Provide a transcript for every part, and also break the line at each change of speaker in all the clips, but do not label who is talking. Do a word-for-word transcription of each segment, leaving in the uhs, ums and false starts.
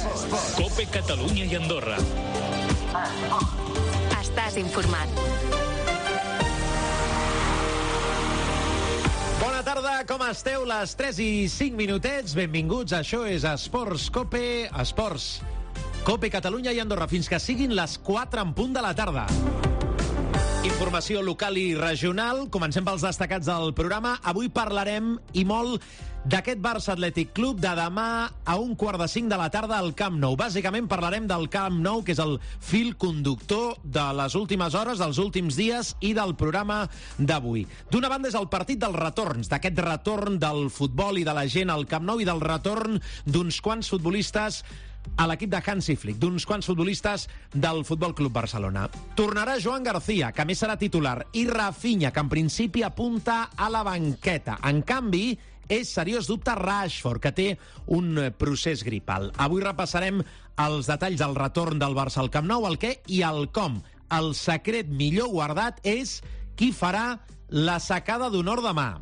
COPE Catalunya i Andorra.
Estàs informat.
Bona tarda, com esteu? Les tres i cinc minutets. Benvinguts, això és Esports COPE, Esports COPE Catalunya i Andorra, fins que siguin les quatre en punt de la tarda. Informació local i regional. Comencem pels destacats del programa. Avui parlarem, i molt, d'aquest Barça Atlètic Club de demà a un quart de cinc de la tarda al Camp Nou. Bàsicament parlarem del Camp Nou, que és el fil conductor de les últimes hores, dels últims dies i del programa d'avui. D'una banda és el partit dels retorns, d'aquest retorn del futbol i de la gent al Camp Nou i del retorn d'uns quants futbolistes a l'equip de Hansi Flick, d'uns quants futbolistes del Futbol Club Barcelona. Tornarà Joan García, que més serà titular, i Rafinha, que en principi apunta a la banqueta. En canvi, és seriós dubte Rashford, que té un procés gripal. Avui repassarem els detalls del retorn del Barça al Camp Nou, el què i el com. El secret millor guardat és qui farà la sacada d'honor demà.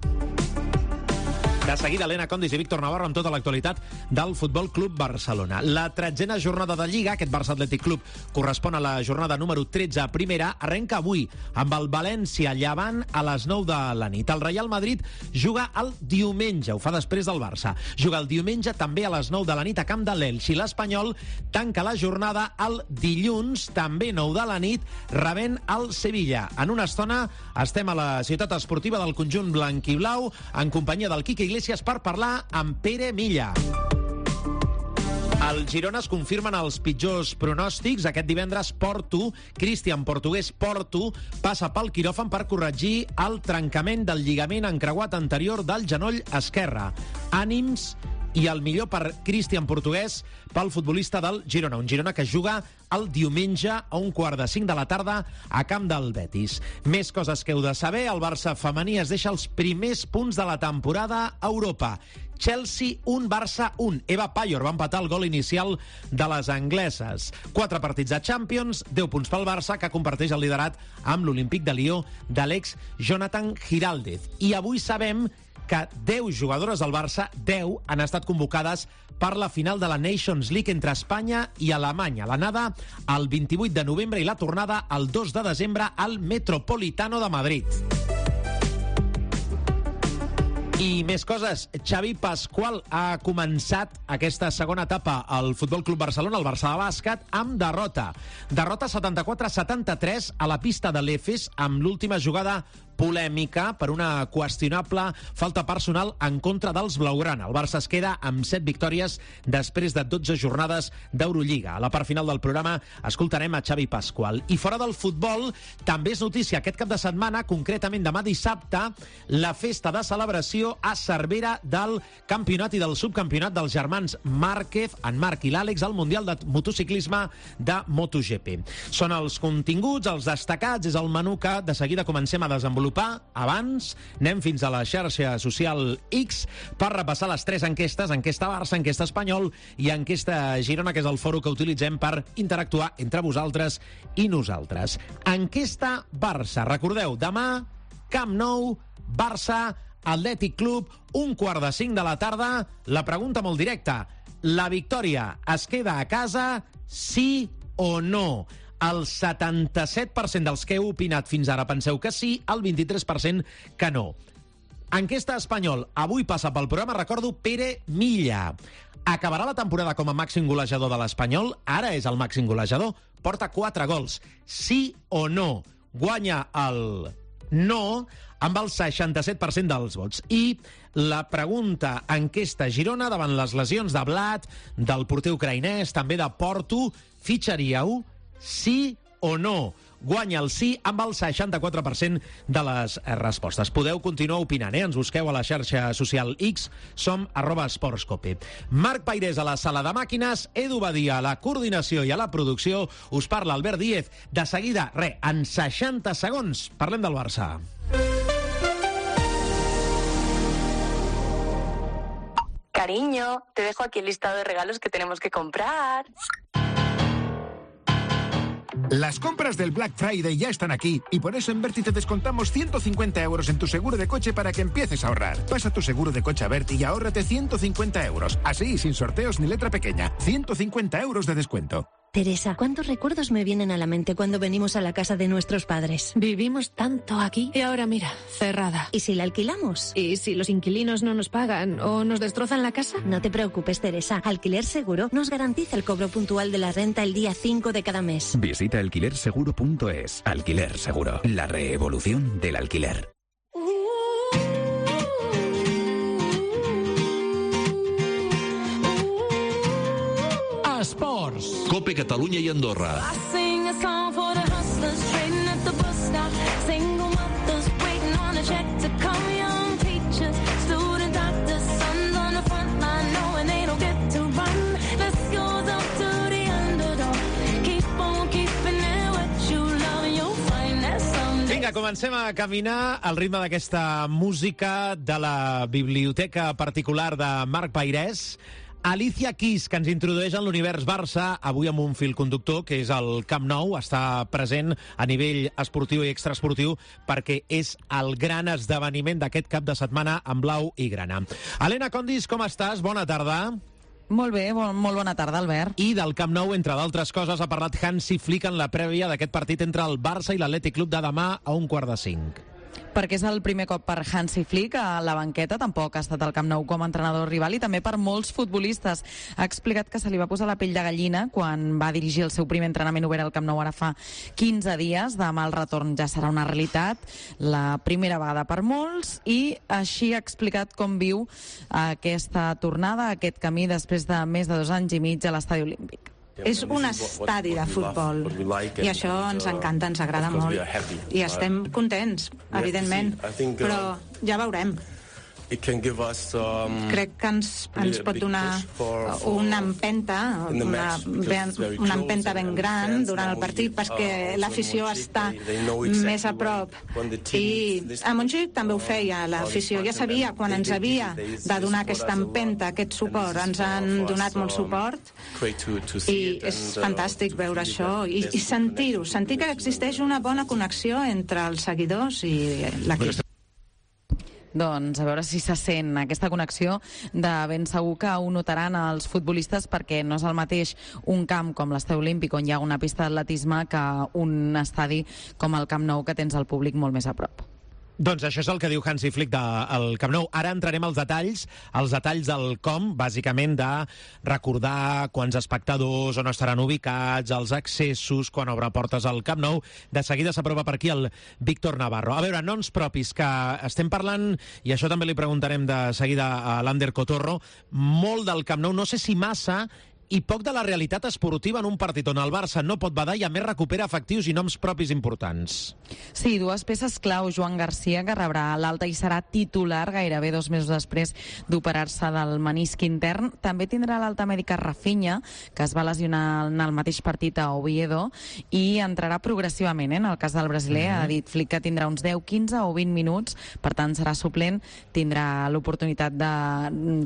De seguida, Elena Condis i Víctor Navarro amb tota l'actualitat del Futbol Club Barcelona. La tretzena jornada de Lliga, aquest Barça Atlètic Club, correspon a la jornada número tretze a primera, arrenca avui amb el València Llevant a les nou de la nit. El Real Madrid juga el diumenge, ho fa després del Barça. Juga el diumenge també a les nou de la nit a camp de l'Elx, i l'Espanyol tanca la jornada el dilluns, també nou de la nit, rebent el Sevilla. En una estona estem a la ciutat esportiva del conjunt blanquiblau en companyia del Quique Iglesias per parlar amb Pere Milla. Al Girona es confirmen els pitjors pronòstics. Aquest divendres Porto, Cristian Portugués Porto, passa pel quiròfan per corregir el trencament del lligament encreuat anterior del genoll esquerre. Ànims i el millor per Cristian Portugués, pel futbolista del Girona. Un Girona que juga el diumenge a un quart de cinc de la tarda a camp del Betis. Més coses que heu de saber. El Barça femení es deixa els primers punts de la temporada a Europa. Chelsea un, Barça un. Eva Payor va empatar el gol inicial de les angleses. Quatre partits de Champions, deu punts pel Barça, que comparteix el liderat amb l'Olímpic de Lió de l'ex Jonathan Giraldez. I avui sabem que deu jugadores del Barça, deu, han estat convocades per la final de la Nations League entre Espanya i Alemanya. L'anada el vint-i-vuit de novembre i la tornada el dos de desembre al Metropolitano de Madrid. I més coses. Xavi Pasqual ha començat aquesta segona etapa al Futbol Club Barcelona, el Barça de bàsquet, amb derrota. Derrota setanta-quatre a setanta-tres a la pista de l'Efes, amb l'última jugada polèmica per una qüestionable falta personal en contra dels blaugrana. El Barça es queda amb set victòries després de dotze jornades d'Eurolliga. A la part final del programa escoltarem a Xavi Pasqual. I fora del futbol, també és notícia aquest cap de setmana, concretament demà dissabte, la festa de celebració a Cervera del campionat i del subcampionat dels germans Márquez, en Marc i l'Àlex, al Mundial de Motociclisme de MotoGP. Són els continguts, els destacats, és el menú que de seguida comencem a desenvolupar. Abans, anem fins a la xarxa social X per repassar les tres enquestes, enquesta Barça, enquesta Espanyol i enquesta Girona, que és el fòrum que utilitzem per interactuar entre vosaltres i nosaltres. Enquesta Barça. Recordeu, demà, Camp Nou, Barça, Atlètic Club, un quart de cinc de la tarda. La pregunta molt directa: la victòria es queda a casa, sí o no? El setanta-set per cent dels que heu opinat fins ara penseu que sí, el vint-i-tres per cent que no. Enquesta Espanyol. Avui passa pel programa, recordo, Pere Milla. Acabarà la temporada com a màxim golejador de l'Espanyol? Ara és el màxim golejador. Porta quatre gols. Sí o no? Guanya el no amb el seixanta-set per cent dels vots. I la pregunta enquesta Girona, davant les lesions de Blat, del porter ucraïnès, també de Porto, fitxaríeu? Sí o no? Guanya el sí amb el seixanta-quatre per cent de les respostes. Podeu continuar opinant, eh? Ens busqueu a la xarxa social X, som arroba esportscope. Marc Pairés a la sala de màquines, Edu Badia a la coordinació i a la producció, us parla Albert Díez. De seguida, re, en seixanta segons, parlem del Barça.
Cariño, te dejo aquí el listado de regalos que tenemos que comprar.
Las compras del Black Friday ya están aquí y por eso en Berti te descontamos ciento cincuenta euros en tu seguro de coche para que empieces a ahorrar. Pasa tu seguro de coche a Berti y ahórrate ciento cincuenta euros. Así, sin sorteos ni letra pequeña. ciento cincuenta euros de descuento.
Teresa, ¿cuántos recuerdos me vienen a la mente cuando venimos a la casa de nuestros padres?
Vivimos tanto aquí y ahora mira, cerrada.
¿Y si la alquilamos?
¿Y si los inquilinos no nos pagan o nos destrozan la casa?
No te preocupes, Teresa. Alquiler Seguro nos garantiza el cobro puntual de la renta el día cinco de cada mes.
Visita alquiler seguro punto es. Alquiler Seguro, la reevolución del alquiler.
Esports.
Cope Catalunya i Andorra.
Vinga, comencem a caminar al ritme d'aquesta música de la biblioteca particular de Marc Pairès. Alicia Keys, que ens introdueix en l'univers Barça, avui amb un fil conductor, que és el Camp Nou, està present a nivell esportiu i extraesportiu, perquè és el gran esdeveniment d'aquest cap de setmana en blau i grana. Helena Condis, com estàs? Bona tarda.
Molt bé, bon, molt bona tarda, Albert.
I del Camp Nou, entre d'altres coses, ha parlat Hansi Flick en la prèvia d'aquest partit entre el Barça i l'Atlètic Club de demà a un quart de cinc.
Perquè és el primer cop per Hansi Flick a la banqueta, tampoc ha estat al Camp Nou com a entrenador rival, i també per molts futbolistes. Ha explicat que se li va posar la pell de gallina quan va dirigir el seu primer entrenament obert al Camp Nou ara fa quinze dies. Demà el retorn ja serà una realitat, la primera vegada per molts, i així ha explicat com viu aquesta tornada, aquest camí després de més de dos anys i mig a l'Estadi Olímpic.
És un estadi de futbol i això ens encanta, ens agrada molt i estem contents, evidentment, però ja veurem. Crec que ens, ens pot donar una empenta, una, una empenta ben gran durant el partit, perquè l'afició està més a prop. I a Montjuïc també ho feia, l'afició ja sabia quan ens havia de donar aquesta empenta, aquest suport. Ens han donat molt suport i és fantàstic veure això i, i sentir-ho, sentir que existeix una bona connexió entre els seguidors i l'equip.
Doncs a veure si se sent aquesta connexió. De ben segur que ho notaran els futbolistes, perquè no és el mateix un camp com l'Estadi Olímpic, on hi ha una pista d'atletisme, que un estadi com el Camp Nou, que tens el públic molt més a prop.
Doncs això és el que diu Hansi Flick del Camp Nou. Ara entrarem als detalls, els detalls del com, bàsicament de recordar quants espectadors, on estaran ubicats, els accessos, quan obre portes al Camp Nou. De seguida s'aprova per aquí el Víctor Navarro. A veure, noms propis, que estem parlant, i això també li preguntarem de seguida a l'Ander Cotorro, molt del Camp Nou, no sé si massa, i poc de la realitat esportiva en un partit on el Barça no pot badar i a més recupera efectius i noms propis importants.
Sí, dues peces clau. Joan Garcia, que rebrà l'alta i serà titular gairebé dos mesos després d'operar-se del menisc intern. També tindrà l'alta mèdica Rafinha, que es va lesionar en el mateix partit a Oviedo, i entrarà progressivament, eh? En el cas del brasiler, mm-hmm. ha dit Flick que tindrà uns deu, quinze o vint minuts, per tant serà suplent, tindrà l'oportunitat de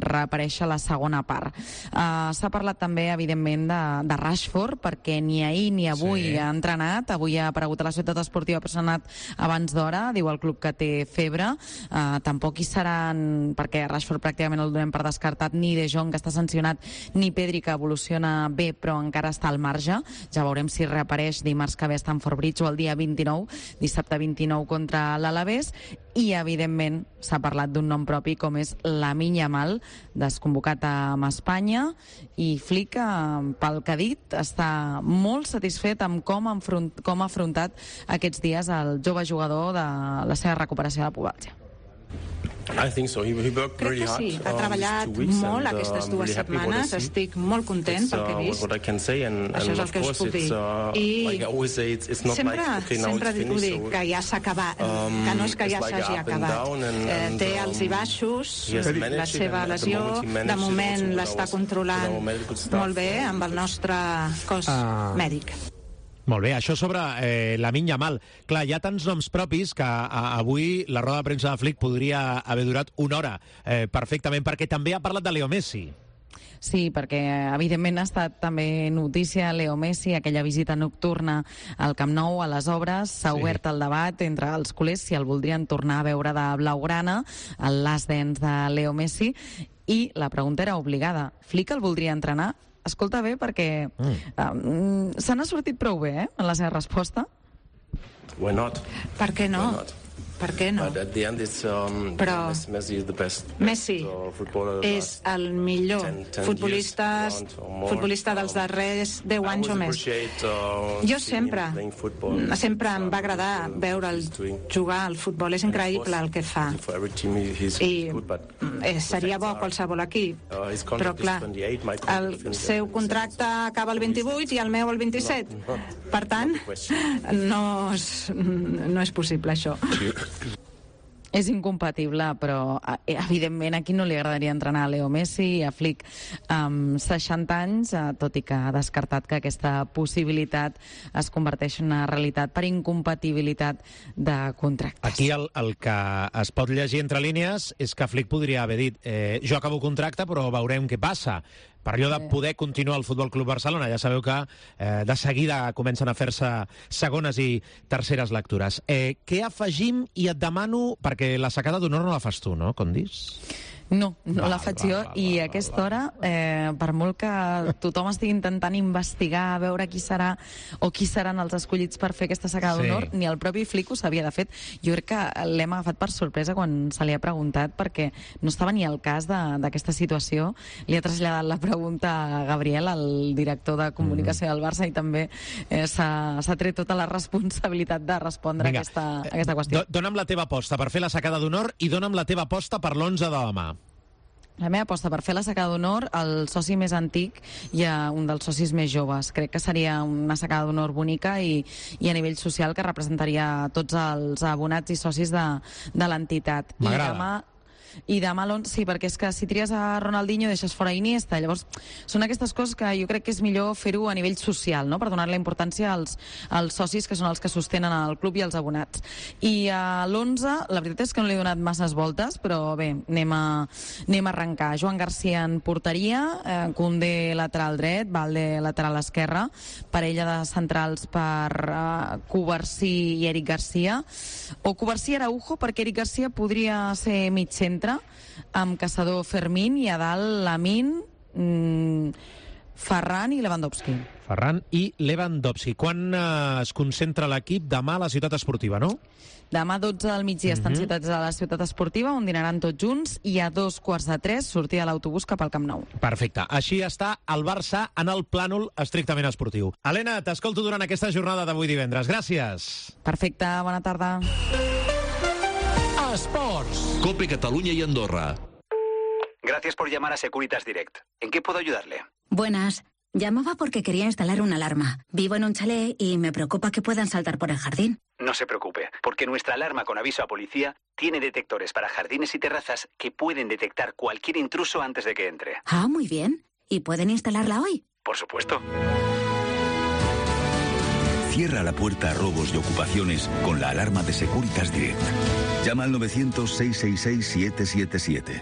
reaparèixer a la segona part. Uh, s'ha parlat també evidentment de, de Rashford, perquè ni ahir ni avui sí. ha entrenat. Avui ha aparegut a la Societat Esportiva Personat abans d'hora, diu el club que té febre. Uh, tampoc hi seran, perquè Rashford pràcticament el donem per descartat, ni De Jong, que està sancionat, ni Pedri, que evoluciona bé però encara està al marge. Ja veurem si reapareix dimarts que ve a Stamford Bridge o el dia vint-i-nou, dissabte vint-i-nou contra l'Alavés. I evidentment s'ha parlat d'un nom propi com és Lamine Yamal, desconvocat amb Espanya, i Flick, pel que ha dit, està molt satisfet amb com, enfront, com ha afrontat aquests dies el jove jugador de la seva recuperació de la pubalgia.
Crec que sí, ha treballat molt aquestes dues setmanes, estic molt content pel que he vist, això és el que us puc dir, i sempre, sempre ho dic, que ja s'ha acabat, que no és que ja s'hagi acabat, té alts i baixos, la seva lesió, de moment l'està controlant molt bé amb el nostre cos mèdic.
Molt bé, això sobre eh, Lamine Yamal. Clar, hi ha tants noms propis que a, avui la roda de premsa de Flick podria haver durat una hora eh, perfectament, perquè també ha parlat de Leo Messi.
Sí, perquè evidentment ha estat també notícia Leo Messi, aquella visita nocturna al Camp Nou, a les obres. S'ha sí. obert el debat entre els culers si el voldrien tornar a veure de blaugrana, el last dance de Leo Messi, i la pregunta era obligada. Flick el voldria entrenar? Escolta bé, perquè mm. um, se n'ha sortit prou bé, eh?, en la seva resposta.
Why not?
Per què no?
Why not?
Per què no?
But at the end it's, um,
Però
Messi is the best,
Messi
best
és el millor
ten, ten
futbolista, futbolista dels darrers deu anys o més.
Uh,
jo sempre, sempre em va agradar veure'l jugar al futbol. És increïble el que fa. I eh, seria bo qualsevol equip. Però clar, el seu contracte acaba el vint-i-vuit i el meu el vint-i-set. Per tant, no és, no és possible això.
És incompatible, però evidentment a qui no li agradaria entrenar a Leo Messi, a Flick amb seixanta anys, tot i que ha descartat que aquesta possibilitat es converteix en una realitat per incompatibilitat de contractes.
Aquí el, el que es pot llegir entre línies és que Flick podria haver dit eh, jo acabo contracte però veurem què passa. Per allò de poder continuar al Futbol Club Barcelona. Ja sabeu que eh, de seguida comencen a fer-se segones i terceres lectures. Eh, què afegim? I et demano, perquè la secada d'honor no la fas tu, no, Condis?
No, no
val,
la faig jo,
val, val,
i
val,
a aquesta
val.
hora, eh, per molt que tothom estigui intentant investigar, a veure qui serà o qui seran els escollits per fer aquesta secada
Sí.
d'honor, ni el propi Flick ho sabia. De fet, jo crec que l'hem agafat per sorpresa quan se li ha preguntat, perquè no estava ni al cas de- d'aquesta situació. Li ha traslladat la pregunta a Gabriel, el director de comunicació del Barça, i també eh, s'ha s'ha tret tota la responsabilitat de respondre
Vinga,
a aquesta, a aquesta qüestió.
Do, dona'm la teva aposta per fer la secada d'honor i dona'm la teva aposta per l'onze de demà.
La meva aposta per fer la secada d'honor, el soci més antic i a un dels socis més joves. Crec que seria una secada d'honor bonica i, i a nivell social que representaria tots els abonats i socis de, de l'entitat. I
M'agrada.
demà i demà l'onze, sí, perquè és que si tries a Ronaldinho deixes fora Iniesta, llavors són aquestes coses que jo crec que és millor fer-ho a nivell social, no?, per donar-li importància als, als socis, que són els que sostenen el club, i els abonats. I a l'onze, la veritat és que no li he donat masses voltes, però bé, anem a, anem a arrencar. Joan Garcia en porteria, eh, Koundé lateral dret, Valde lateral esquerra, parella de centrals per eh, Covarsí i Eric Garcia, o Covarsí i Araujo, perquè Eric Garcia podria ser mig centre, amb Caçador, Fermín, i a dalt Lamine, mmm, Ferran i Lewandowski.
Ferran i Lewandowski. Quan eh, es concentra l'equip? Demà a la Ciutat Esportiva, no?
Demà dotze del migdia estan
Mhm.
ciutats a la Ciutat Esportiva, on dinaran tots junts, i a dos quarts de tres sortir a l'autobús cap al Camp Nou.
Perfecte. Així està el Barça en el plànol estrictament esportiu. Helena, t'escolto durant aquesta jornada d'avui divendres. Gràcies.
Perfecte, bona tarda.
Esports. Cope Catalunya y Andorra.
Gracias por llamar a Securitas Direct. ¿En qué puedo ayudarle?
Buenas. Llamaba porque quería instalar una alarma. Vivo en un chalet y me preocupa que puedan saltar por el jardín.
No se preocupe, porque nuestra alarma con aviso a policía tiene detectores para jardines y terrazas que pueden detectar cualquier intruso antes de que entre.
Ah, muy bien. ¿Y pueden instalarla hoy?
Por supuesto.
Cierra la puerta a robos y ocupaciones con la alarma de Securitas Direct. Llama al novecientos, seiscientos sesenta y seis, siete siete siete.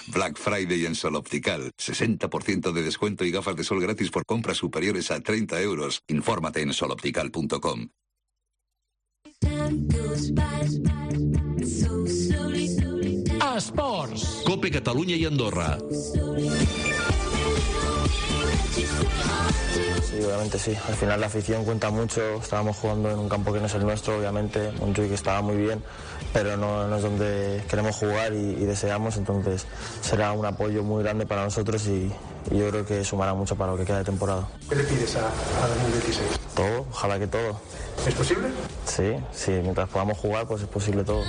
Black Friday en Sol Optical. sesenta por ciento de descuento y gafas de sol gratis por compras superiores a treinta euros. Infórmate en sol optical punto com.
Esports. Cope Catalunya y Andorra.
Sí, obviamente sí. Al final la afición cuenta mucho. Estábamos jugando en un campo que no es el nuestro, obviamente. Montjuic estaba muy bien, pero no, no es donde queremos jugar y, y deseamos. Entonces será un apoyo muy grande para nosotros y, y yo creo que sumará mucho para lo que queda de temporada.
¿Qué le pides a, a dos mil dieciséis?
Todo, ojalá que todo.
¿Es posible?
Sí, sí, mientras podamos jugar, pues es posible todo.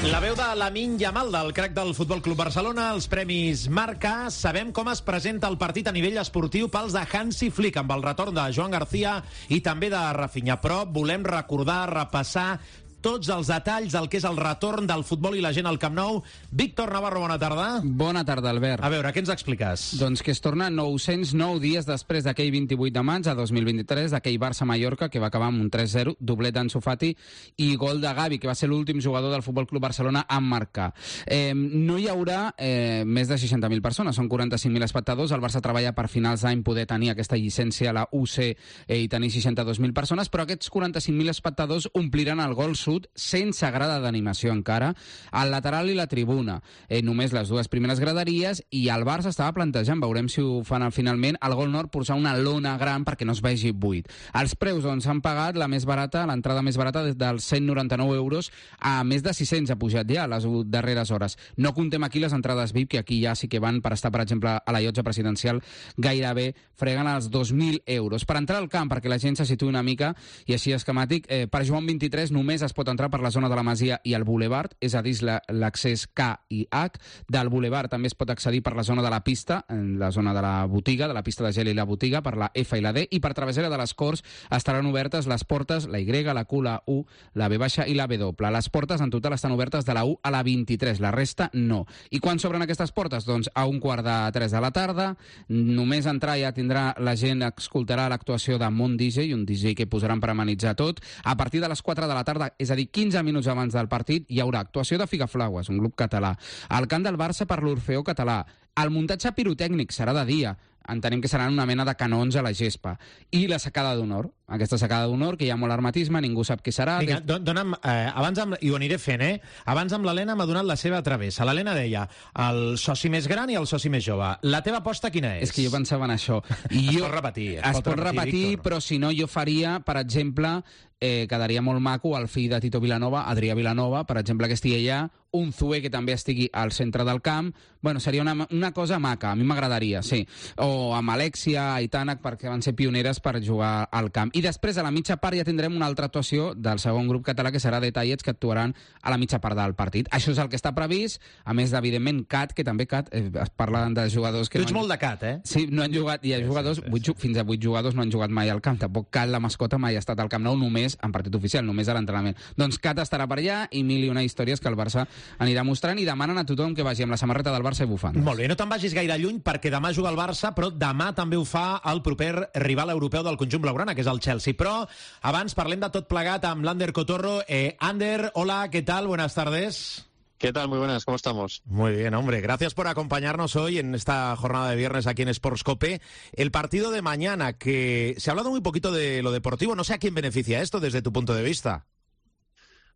La veu de Lamine Yamal, del crack del Futbol Club Barcelona, els premis Marca. Sabem com es presenta el partit a nivell esportiu pels de Hansi Flick, amb el retorn de Joan Garcia i també de Rafinha. Però volem recordar, repassar tots els detalls del que és el retorn del futbol i la gent al Camp Nou. Víctor Navarro, bona tarda.
Bona tarda, Albert.
A veure, què ens expliques?
Doncs que es torna nou-cents nou dies després d'aquell vint-i-vuit de maig a dos mil vint-i-tres, d'aquell Barça-Mallorca, que va acabar amb un tres zero, doblet d'Ansu Fati i gol de Gavi, que va ser l'últim jugador del Futbol Club Barcelona a marcar. Eh, no hi haurà eh, més de seixanta mil persones, són quaranta-cinc mil espectadors. El Barça treballa per finals d'any poder tenir aquesta llicència a la U C eh, i tenir seixanta-dos mil persones, però aquests quaranta-cinc mil espectadors ompliran el gol sud sense grada d'animació encara, al lateral i la tribuna. Eh, només les dues primeres graderies, i el Barça estava plantejant, veurem si ho fan finalment, al gol nord posar una lona gran perquè no es vegi buit. Els preus doncs, han pagat la més barata, l'entrada més barata des dels cent noranta-nou euros a més de sis-cents, ha pujat ja a les darreres hores. No contem aquí les entrades V I P, que aquí ja sí que van per estar, per exemple, a la llotja presidencial, gairebé freguen els dos mil euros. Per entrar al camp, perquè la gent se situï una mica, i així esquemàtic, eh, per Joan vint-i-tres només es pot entrar per la zona de la Masia i el Boulevard, és a dir, l'accés K i H. Del Boulevard també es pot accedir per la zona de la pista, en la zona de la botiga, de la pista de gel i la botiga, per la F i la D, i per Travessera de les Corts estaran obertes les portes, la Y, la Q, la U, la V baixa i la W. Les portes en total estan obertes de la U a la vint-i-tres, la resta no. I quan s'obren aquestes portes? Doncs a un quart de tres de la tarda, només entrar ja tindrà la gent, escoltarà l'actuació de Mont D J, un D J que posaran per amenitzar tot. A partir de les quatre de la tarda, és a dir, quinze minuts abans del partit, hi haurà actuació de Figaflaues, un grup català. Al camp del Barça per l'Orfeó Català. El muntatge pirotècnic serà de dia. Entenem que seran una mena de canons a la gespa. I la secada d'honor. Aquesta secada d'honor, que hi ha molt hermetisme, ningú sap qui serà.
Vinga, don, dona'm, eh, abans amb, i ho aniré fent, eh? Abans amb l'Helena m'ha donat la seva travessa. L'Helena deia, el soci més gran i el soci més jove. La teva aposta quina és?
És que jo pensava en això. I
es
jo,
pot repetir. Es,
es
pot,
pot repetir, repetir però si no jo faria, per exemple, eh, quedaria molt maco el fill de Tito Vilanova, Adrià Vilanova, per exemple, que estigui allà, un Zue que també estigui al centre del camp. Bueno, seria una, una cosa maca, a mi m'agradaria, sí. O amb Alexia i Tànec, perquè van ser pioneres per jugar al camp. I després, a la mitja part, ja tindrem una altra actuació del segon grup català, que serà Detallets, que actuaran a la mitja part del partit. Això és el que està previst, a més d'evidentment Cat, que també Cat, eh, es parla de jugadors que...
Tu ets
no han...
molt de Cat, eh?
Sí, no han jugat, hi ha jugadors, sí, sí, sí. fins a vuit jugadors no han jugat mai al camp. Tampoc Cat, la mascota, mai ha estat al Camp Nou, només en partit oficial, només a l'entrenament. Doncs Cat estarà per allà i mil i una històries que el Barça anirà mostrant, i demanen a tothom que vagi amb la samarreta del Barça i bufandes.
Molt bé, no te'n vagis gaire lluny, perquè demà juga el Barça, però demà també ho fa el proper rival europeu del conjunt blaugrana, que és el Chelsea. Però abans parlem de tot plegat amb l'Ander Cotorro. Eh, Ander, hola, ¿qué tal? Buenas tardes.
¿Qué tal? Muy buenas, ¿cómo estamos?
Muy bien, hombre. Gracias por acompañarnos hoy en esta jornada de viernes aquí en Sports Cope. El partido de mañana, que se ha hablado muy poquito de lo deportivo. No sé a quién beneficia esto desde tu punto de vista.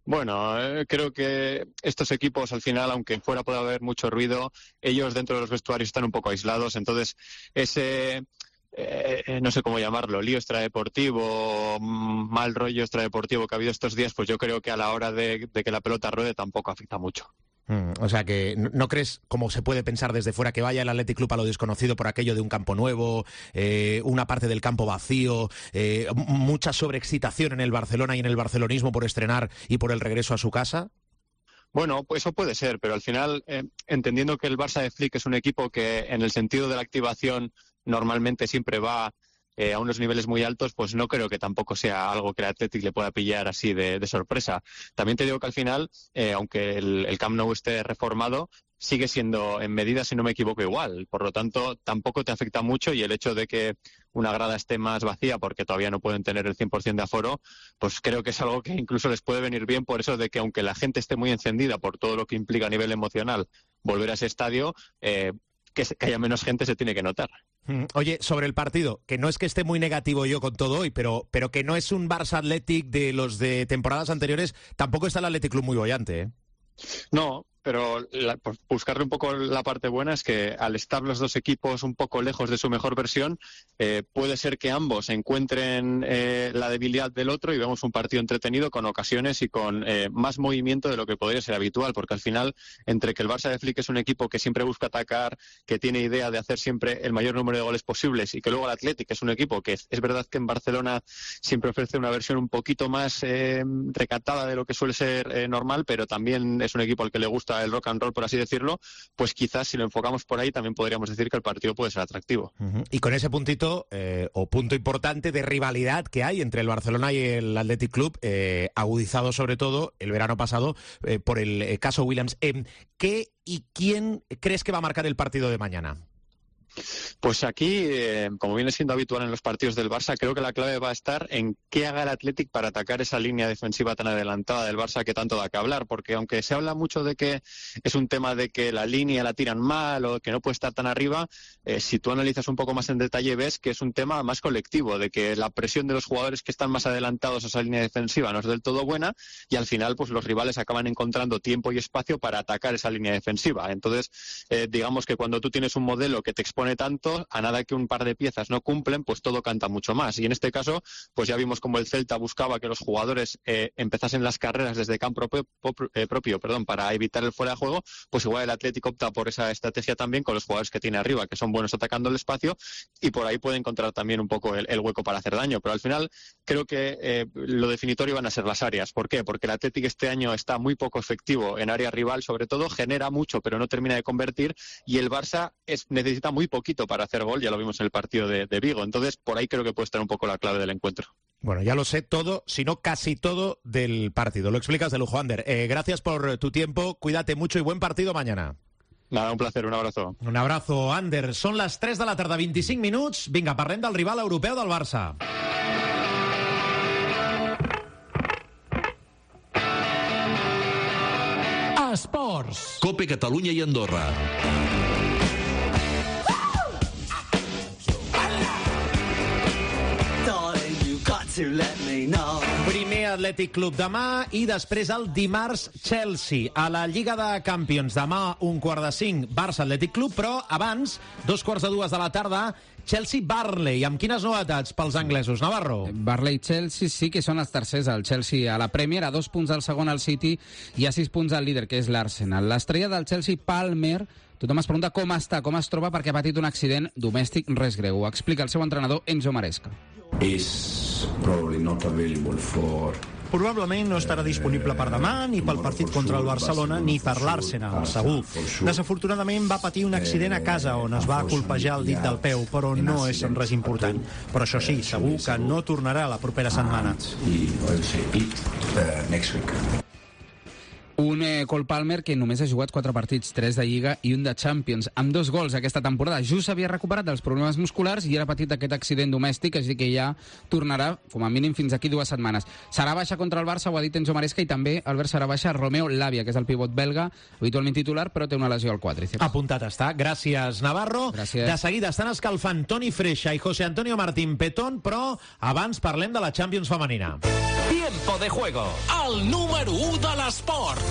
Bueno, eh, creo que estos equipos al final, aunque fuera puede haber mucho ruido, ellos dentro de los vestuarios están un poco aislados, entonces ese... Eh, no sé cómo llamarlo, lío extradeportivo, mal rollo extradeportivo que ha habido estos días, pues yo creo que a la hora de, de que la pelota ruede tampoco afecta mucho.
Mm, o sea que no, no crees, como se puede pensar desde fuera, que vaya el Athletic Club a lo desconocido por aquello de un campo nuevo, eh, una parte del campo vacío, eh, mucha sobreexcitación en el Barcelona y en el barcelonismo por estrenar y por el regreso a su casa.
Bueno, pues eso puede ser, pero al final, eh, entendiendo que el Barça de Flick es un equipo que en el sentido de la activación normalmente siempre va eh, a unos niveles muy altos, pues no creo que tampoco sea algo que el Athletic le pueda pillar así de, de sorpresa. También te digo que al final, eh, aunque el, el Camp Nou esté reformado, sigue siendo en medida, si no me equivoco, igual. Por lo tanto, tampoco te afecta mucho, y el hecho de que una grada esté más vacía porque todavía no pueden tener el cien por ciento de aforo, pues creo que es algo que incluso les puede venir bien, por eso de que aunque la gente esté muy encendida por todo lo que implica a nivel emocional volver a ese estadio, eh, que, que haya menos gente se tiene que notar.
Oye, sobre el partido, que no es que esté muy negativo yo con todo hoy, pero, pero que no es un Barça Athletic de los de temporadas anteriores, tampoco está el Athletic Club muy bollante, ¿eh?
No, pero la, por buscarle un poco la parte buena es que al estar los dos equipos un poco lejos de su mejor versión, eh, puede ser que ambos encuentren eh, la debilidad del otro y vemos un partido entretenido con ocasiones y con eh, más movimiento de lo que podría ser habitual, porque al final, entre que el Barça de Flick es un equipo que siempre busca atacar, que tiene idea de hacer siempre el mayor número de goles posibles, y que luego el Athletic es un equipo que es, es verdad que en Barcelona siempre ofrece una versión un poquito más eh, recatada de lo que suele ser eh, normal, pero también es un equipo al que le gusta gusta el rock and roll, por así decirlo, pues quizás si lo enfocamos por ahí también podríamos decir que el partido puede ser atractivo.
Uh-huh. Y con ese puntito, eh, o punto importante de rivalidad que hay entre el Barcelona y el Athletic Club, eh, agudizado sobre todo el verano pasado eh, por el eh, caso Williams. Eh, ¿Qué y quién crees que va a marcar el partido de mañana?
Pues aquí, eh, como viene siendo habitual en los partidos del Barça, creo que la clave va a estar en qué haga el Athletic para atacar esa línea defensiva tan adelantada del Barça que tanto da que hablar, porque aunque se habla mucho de que es un tema de que la línea la tiran mal o que no puede estar tan arriba, eh, si tú analizas un poco más en detalle ves que es un tema más colectivo, de que la presión de los jugadores que están más adelantados a esa línea defensiva no es del todo buena y al final pues los rivales acaban encontrando tiempo y espacio para atacar esa línea defensiva. Entonces, eh, digamos que cuando tú tienes un modelo que te expone tanto, a nada que un par de piezas no cumplen, pues todo canta mucho más. Y en este caso, pues ya vimos como el Celta buscaba que los jugadores eh, empezasen las carreras desde campo propio, eh, propio perdón, para evitar el fuera de juego, pues igual el Atlético opta por esa estrategia también con los jugadores que tiene arriba, que son buenos atacando el espacio, y por ahí puede encontrar también un poco el, el hueco para hacer daño. Pero al final creo que eh, lo definitorio van a ser las áreas. ¿Por qué? Porque el Atlético este año está muy poco efectivo en área rival, sobre todo, genera mucho pero no termina de convertir, y el Barça es, necesita muy poquito para hacer gol, ya lo vimos en el partido de, de Vigo. Entonces, por ahí creo que puede estar un poco la clave del encuentro.
Bueno, ya lo sé todo, si no casi todo del partido. Lo explicas de lujo, Ander. Eh, gracias por tu tiempo, cuídate mucho y buen partido mañana.
Nada, un placer, un abrazo.
Un abrazo, Ander. Són les tres de la tarda, vint-i-cinc minuts. Vinga, parlem del rival europeu del Barça.
Esports. Cope Catalunya i Andorra.
Primer Atlètic Club demà i després el dimarts Chelsea. A la Lliga de Campions demà un quart de cinc Barça Atlètic Club, però abans, dos quarts de dues de la tarda, Chelsea-Barley. Amb quines novetats pels anglesos, Navarro?
Barley-Chelsea sí que són els tercers, el Chelsea a la Premier, a dos punts del segon al City i a sis punts al líder, que és l'Arsenal. L'estrella del Chelsea, Palmer, tothom es pregunta com està, com es troba, perquè ha patit un accident domèstic res greu. Ho explica el seu entrenador, Enzo Maresca.
Is probably not available for probablement no estarà disponible per demà, ni pel partit contra el Barcelona, ni per l'Arsenal, segur. Desafortunadament va patir un accident a casa on es va colpejar el dit del peu, però no és res important. Però això sí, segur que no tornarà la propera setmana.
Un eh, Cole Palmer que només ha jugat quatre partits, tres de Lliga i un de Champions, amb dos gols aquesta temporada. Just s'havia recuperat dels problemes musculars i era patit aquest accident domèstic, així que ja tornarà, com a mínim, fins aquí dues setmanes. Serà baixa contra el Barça, ho ha dit Enzo Maresca, i també, Albert, serà baixa Romeo Lavia, que és el pivot belga, habitualment titular, però té una lesió al quàdriceps.
Apuntat està. Gràcies, Navarro.
Gràcies.
De seguida estan escalfant Toni Freixa i José Antonio Martín Petón, però abans parlem de la Champions femenina.
Tiempo de juego, el número u de l'esport.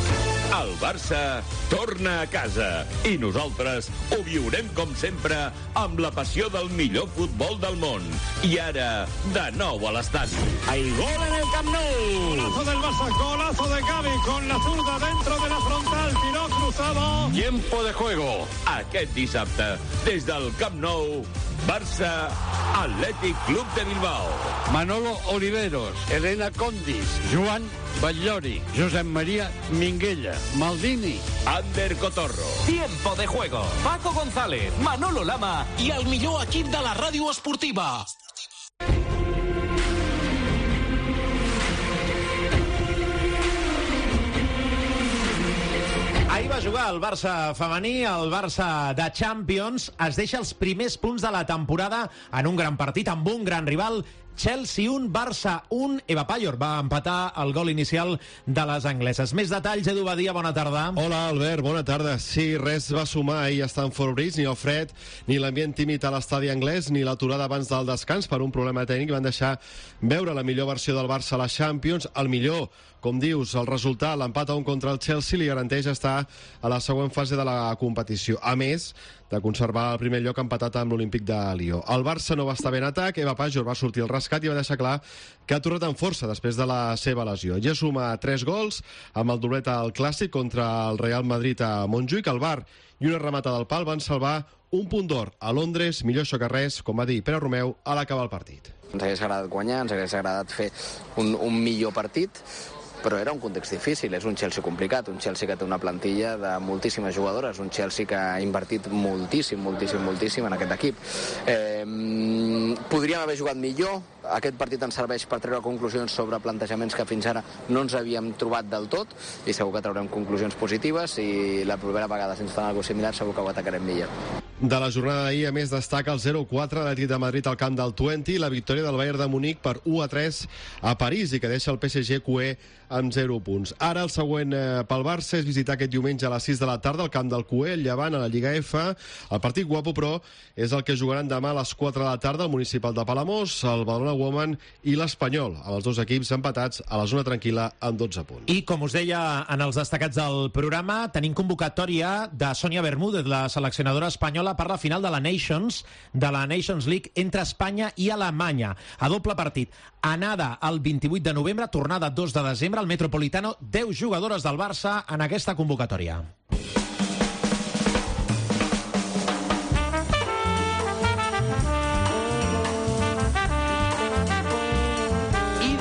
El Barça torna a casa i nosaltres ho viurem com sempre amb la passió del millor futbol del món. I ara, de nou a l'estadi.
Hay gol en el Camp Nou. Golazo del Barça, golazo de Gavi con la zurda dentro de la frontal, tiró cruzado.
Tiempo de juego, aquest dissabte, des del Camp Nou, Barça Athletic Club de Bilbao.
Manolo Oliveros, Elena Condis, Joan Batllori, Josep María Minguella, Maldini,
Ander Cotorro.
Tiempo de juego. Paco González, Manolo Lama i el millor equip de la ràdio esportiva.
Ahir va jugar el Barça femení, el Barça de Champions. Es deixa els primers punts de la temporada en un gran partit, amb un gran rival. Chelsea un, Barça un. Eva Payor va empatar el gol inicial de les angleses. Més detalls, Edu Badia, bona tarda.
Hola, Albert, bona tarda. Sí, res va sumar ahir a Stamford Bridge, ni el fred, ni l'ambient tímid a l'estadi anglès, ni l'aturada abans del descans per un problema tècnic. Van deixar veure la millor versió del Barça a la Champions, el millor, com dius, el resultat, l'empat a un contra el Chelsea, li garanteix estar a la següent fase de la competició. A més de conservar el primer lloc empatat amb l'Olímpic de Lió. El Barça no va estar bé en atac, Eva Payor va sortir al rescat i va deixar clar que ha tornat amb força després de la seva lesió. Ja suma tres gols amb el doblet al Clàssic contra el Real Madrid a Montjuïc. El Bar i una remata del pal van salvar un punt d'or a Londres, millor això que res, com va dir Pere Romeu a l'acabar el partit.
Ens hagués agradat guanyar, ens hagués agradat fer un, un millor partit,
però era un context difícil, és un Chelsea complicat, un Chelsea que té una plantilla de moltíssimes jugadores, un Chelsea que ha invertit moltíssim, moltíssim, moltíssim en aquest equip. Eh, podríem haver jugat millor, aquest partit ens serveix per treure conclusions sobre plantejaments que fins ara no ens havíem trobat del tot, i segur que traurem conclusions positives, i la propera vegada, si ens fan alguna cosa similar, segur que ho atacarem millor.
De la jornada d'ahir, a més, destaca el zero quatre de l'Atlètic de Madrid al camp del Twente, la victòria del Bayern de Munic per u a tres a París, i que deixa el P S G Q E amb zero punts. Ara el següent eh, pel Barça és visitar aquest diumenge a les sis de la tarda al camp del Q E, el Llevant, a la Lliga F. El partit guapo, però, és el que jugaran demà a les quatre de la tarda el Municipal de Palamós, el Badalona Women i l'Espanyol, amb els dos equips empatats a la zona tranquil·la amb dotze punts.
I, com us deia en els destacats del programa, tenim convocatòria de Sònia Bermúdez, la seleccionadora espanyola, per la final de la Nations, de la Nations League entre Espanya i Alemanya. A doble partit. Anada el vint-i-vuit de novembre, tornada dos de desembre, al Metropolitano, deu jugadores del Barça en aquesta convocatòria.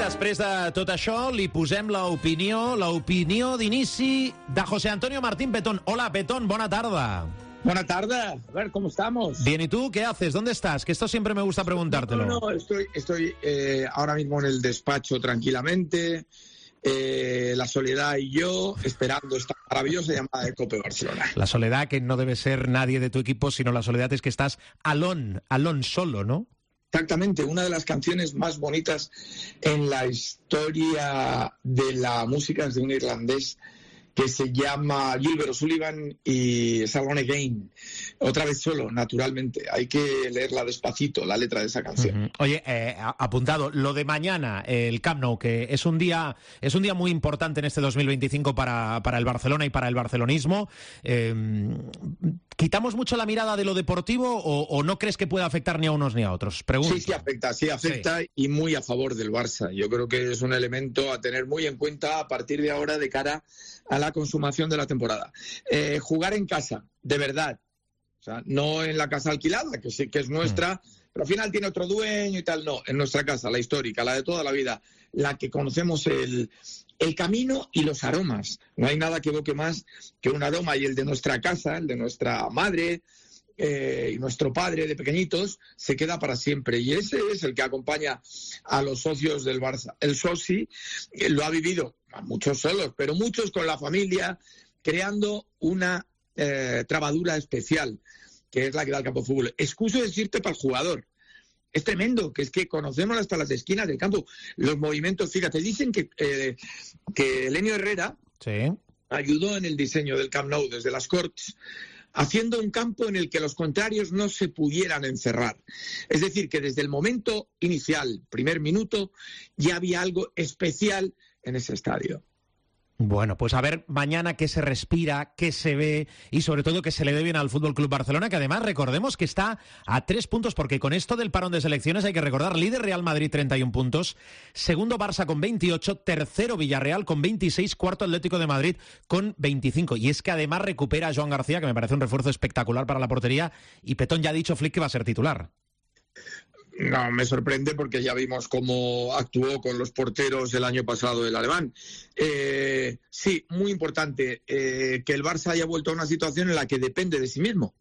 Després de tot això, li posem l'opinió, l'opinió d'inici de José Antonio Martín Petón. Hola, Petón, bona tarda.
Buena tarde, a ver, ¿cómo estamos?
Bien, ¿y tú qué haces? ¿Dónde estás? Que esto siempre me gusta preguntártelo.
No, no, estoy, estoy eh, ahora mismo en el despacho tranquilamente, eh, la Soledad y yo, esperando esta maravillosa llamada de Cope Barcelona.
La Soledad, que no debe ser nadie de tu equipo, sino la Soledad es que estás alone, alone solo, ¿no?
Exactamente, una de las canciones más bonitas en la historia de la música es de un irlandés que se llama Gilbert O'Sullivan y Salon Again. Otra vez solo, naturalmente. Hay que leerla despacito, la letra de esa canción.
Uh-huh. Oye, eh, apuntado, lo de mañana, el Camp Nou, que es un día es un día muy importante en este dos mil veinticinco para, para el Barcelona y para el barcelonismo. Eh, ¿Quitamos mucho la mirada de lo deportivo o, o no crees que pueda afectar ni a unos ni a otros? Pregunto.
Sí, sí afecta, sí afecta sí. Y muy a favor del Barça. Yo creo que es un elemento a tener muy en cuenta a partir de ahora de cara a la consumación de la temporada. Eh, jugar en casa, de verdad. O sea, no en la casa alquilada, que sí que es nuestra, mm. pero al final tiene otro dueño y tal. No, en nuestra casa, la histórica, la de toda la vida, la que conocemos el, el camino y los aromas. No hay nada que evoque más que un aroma, y el de nuestra casa, el de nuestra madre eh, y nuestro padre de pequeñitos, se queda para siempre. Y ese es el que acompaña a los socios del Barça. El soci eh, lo ha vivido, muchos solos, pero muchos con la familia, creando una eh, trabadura especial, que es la que da el campo de fútbol. Excuso decirte para el jugador. Es tremendo, que es que conocemos hasta las esquinas del campo, los movimientos. Fíjate, dicen que, eh, que Elenio Herrera sí. ayudó en el diseño del Camp Nou desde las Corts, haciendo un campo en el que los contrarios no se pudieran encerrar. Es decir, que desde el momento inicial, primer minuto, ya había algo especial en ese estadio.
Bueno, pues a ver mañana qué se respira, qué se ve y sobre todo qué se le dé bien al F C Barcelona, que además recordemos que está a tres puntos, porque con esto del parón de selecciones hay que recordar, líder Real Madrid treinta y un puntos, segundo Barça con veintiocho, tercero Villarreal con veintiséis, cuarto Atlético de Madrid con veinticinco. Y es que además recupera a Joan García, que me parece un refuerzo espectacular para la portería, y Petón ya ha dicho Flick que va a ser titular.
No, me sorprende porque ya vimos cómo actuó con los porteros el año pasado el alemán. Eh, sí, muy importante eh, que el Barça haya vuelto a una situación en la que depende de sí mismo.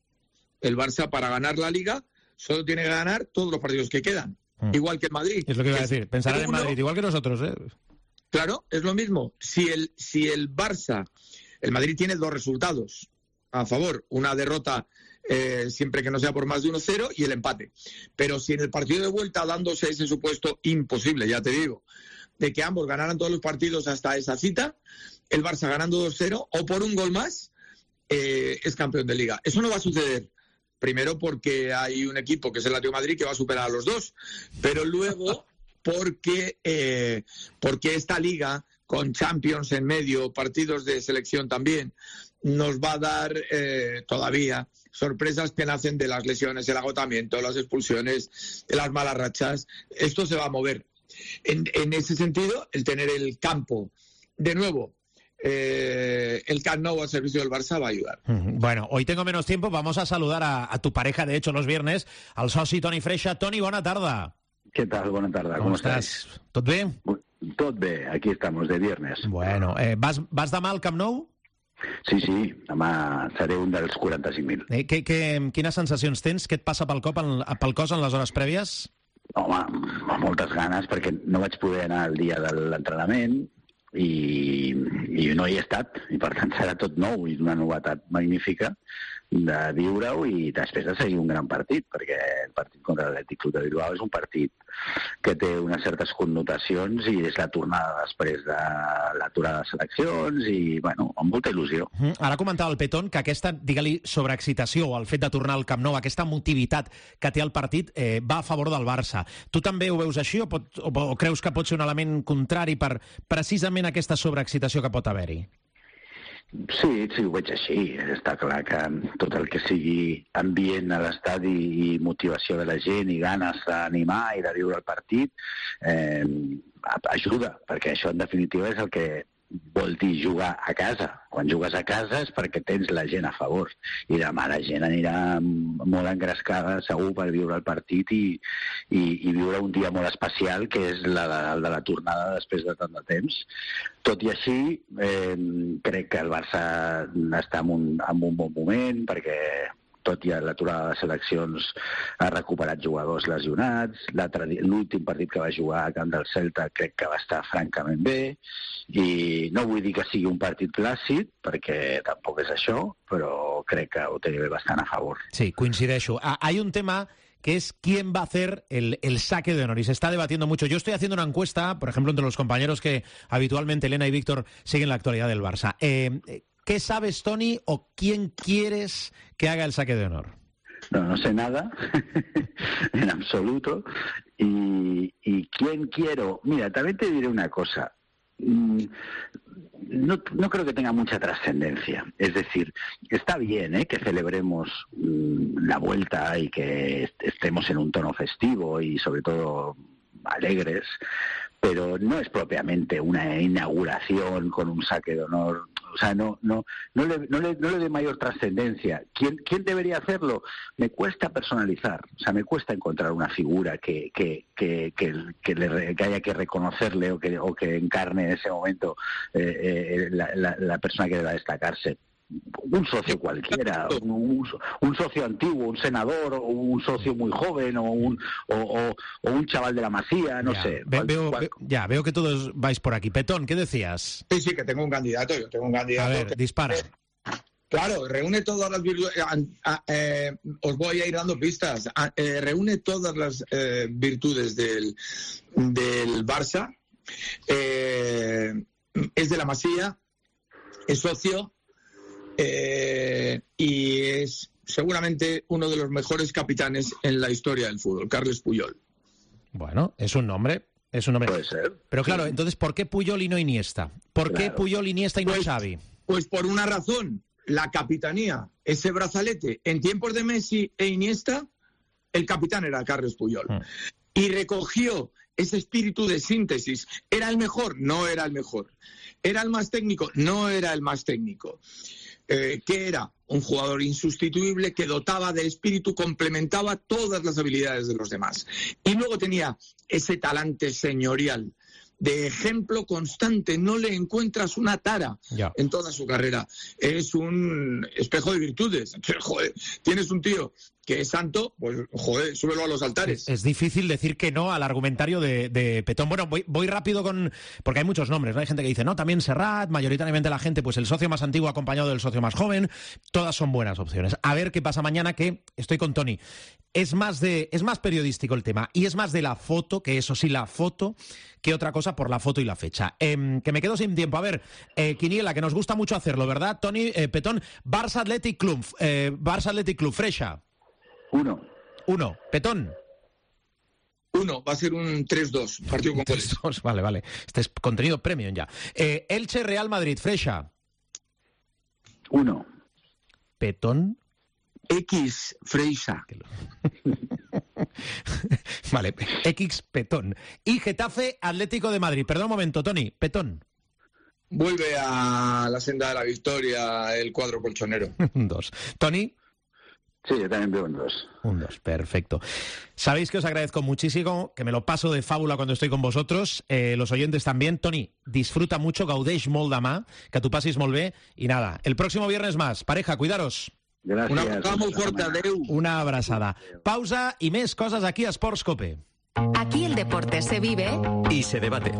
El Barça, para ganar la Liga, solo tiene que ganar todos los partidos que quedan. Mm. Igual que el Madrid.
Es lo que iba a decir, pensarán en Madrid, igual que nosotros, ¿eh?
Claro, es lo mismo. Si el, si el Barça, el Madrid tiene dos resultados a favor, una derrota Eh, siempre que no sea por más de uno cero y el empate. Pero si en el partido de vuelta, dándose ese supuesto imposible, ya te digo, de que ambos ganaran todos los partidos hasta esa cita, el Barça ganando dos cero o por un gol más, eh, es campeón de Liga. Eso no va a suceder. Primero porque hay un equipo que es el Atlético de Madrid que va a superar a los dos, pero luego porque, eh, porque esta Liga, con Champions en medio, partidos de selección también, nos va a dar eh, todavía sorpresas que nacen de las lesiones, el agotamiento, las expulsiones, de las malas rachas. Esto se va a mover. En, en ese sentido, el tener el campo, de nuevo, eh, el Camp Nou al servicio del Barça va a ayudar.
Bueno, hoy tengo menos tiempo, vamos a saludar a, a tu pareja, de hecho, los viernes, al soci Toni Freixa. Toni, bona tarda.
Què tal? Bona tarda, com,
com estàs? Tot bé?
Tot bé, aquí estamos, de viernes.
Bueno, eh, vas, vas demà al Camp Nou?
Sí, sí, demà seré un dels quaranta-cinc mil.
Eh, que, que, quines sensacions tens? Què et passa pel, cop en, pel cos en les hores prèvies?
Home, amb moltes ganes, perquè no vaig poder anar el dia de l'entrenament i, i no hi he estat, i per tant serà tot nou i una novetat magnífica de viure-ho i després de seguir un gran partit, perquè el partit contra l'Atlètic Club de Bilbao és un partit que té unes certes connotacions i és la tornada després de l'aturada de seleccions i, bueno, amb molta il·lusió.
Mm, ara comentava el Petón que aquesta, digue-li, sobreexcitació, el fet de tornar al Camp Nou, aquesta motivitat que té el partit, eh, va a favor del Barça. Tu també ho veus així o, pot, o, o creus que pot ser un element contrari per precisament aquesta sobreexcitació que pot haver-hi?
Sí, sí, ho veig així. Està clar que tot el que sigui ambient a l'estadi i motivació de la gent i ganes d'animar i de viure el partit eh, ajuda, perquè això en definitiva és el que vol dir jugar a casa. Quan jugues a casa és perquè tens la gent a favor i demà la gent anirà molt engrescada segur per viure el partit i, i, i viure un dia molt especial que és la de, el de la tornada després de tant de temps. Tot i així eh, crec que el Barça està en un, en un bon moment perquè tot i l'aturada de seleccions ha recuperat jugadors lesionats, l'últim partit que va jugar a camp del Celta crec que va estar francament bé i no vull dir que sigui un partit clàssic perquè tampoc és això, però crec que ho té bastant a favor.
Sí, coincideixo. Ah, hay un tema que es quién va a hacer el, el saque de honor. Y se está debatiendo mucho. Yo estoy haciendo una encuesta, por ejemplo, entre los compañeros que habitualmente Elena y Víctor siguen la actualidad del Barça. Eh, ¿Qué sabes, Toni, o quién quieres que haga el saque de honor?
No, no sé nada, en absoluto. Y, y quién quiero... Mira, también te diré una cosa. No, no creo que tenga mucha trascendencia. Es decir, está bien ¿eh? que celebremos mmm, la vuelta y que estemos en un tono festivo y sobre todo alegres, pero no es propiamente una inauguración con un saque de honor. O sea, no, no, no le, no le, no le dé mayor trascendencia. ¿Quién, ¿Quién debería hacerlo? Me cuesta personalizar, o sea, me cuesta encontrar una figura que, que, que, que, que, le, que haya que reconocerle o que, o que encarne en ese momento eh, eh, la, la, la persona que deba destacarse. Un socio cualquiera, un, un socio antiguo, un senador, o un socio muy joven, o un, o, o, o un chaval de la Masía, no
ya,
sé.
Ve,
cual,
veo,
cual...
Ve, ya, veo que todos vais por aquí. Petón, ¿qué decías?
Sí, sí, que tengo un candidato, yo tengo un candidato.
A ver,
que...
dispara.
Claro, reúne todas las virtudes, eh, eh, os voy a ir dando pistas, eh, reúne todas las eh, virtudes del, del Barça, eh, es de la Masía, es socio, Eh, y es seguramente uno de los mejores capitanes en la historia del fútbol, Carles Puyol.
Bueno, es un nombre, es un nombre.
Puede ser.
Pero claro, sí. Entonces, ¿por qué Puyol y no Iniesta? ¿Por claro. qué Puyol, Iniesta y no
pues,
Xavi?
Pues por una razón, la capitanía, ese brazalete, en tiempos de Messi e Iniesta, el capitán era Carles Puyol. Mm. Y recogió ese espíritu de síntesis. ¿Era el mejor? No era el mejor. ¿Era el más técnico? No era el más técnico. Eh, que era un jugador insustituible que dotaba de espíritu, complementaba todas las habilidades de los demás. Y luego tenía ese talante señorial, de ejemplo constante. No le encuentras una tara ya. en toda su carrera. Es un espejo de virtudes. Joder, tienes un tío que es santo, pues joder, súbelo a los altares.
Es, es difícil decir que no al argumentario de, de Petón. Bueno, voy, voy rápido con... Porque hay muchos nombres, ¿no? Hay gente que dice, no, también Serrat, mayoritariamente la gente, pues el socio más antiguo acompañado del socio más joven. Todas son buenas opciones. A ver qué pasa mañana, que estoy con Toni. Es más, de, es más periodístico el tema y es más de la foto, que eso sí, la foto, que otra cosa por la foto y la fecha. Eh, que me quedo sin tiempo. A ver, eh, Quiniela, que nos gusta mucho hacerlo, ¿verdad, Toni? Eh, Petón, Barça Athletic Club, eh, Barça Athletic Club, Freixa.
Uno.
Uno. Petón.
Uno. Va a ser un tres dos. Partido con
tres dos. Vale, vale. Este es contenido premium ya. Eh, Elche, Real Madrid. Freixa.
Uno.
Petón.
X. Freixa.
Vale. X. Petón. Y Getafe, Atlético de Madrid. Perdón un momento, Toni. Petón.
Vuelve a la senda de la victoria el cuadro colchonero.
Dos. Toni.
Sí, yo también veo un dos.
Un dos, perfecto. Sabéis que os agradezco muchísimo, que me lo paso de fábula cuando estoy con vosotros, eh, los oyentes también. Toni, disfruta mucho, gaudeix molt demà, que tu passis molt bé, y nada, el próximo viernes más. Pareja, cuidaros.
Gracias.
Una abraçada molt forta, adeu.
Una abrazada. Pausa y més coses aquí a Sports Cope.
Aquí el deporte se vive
y se debate.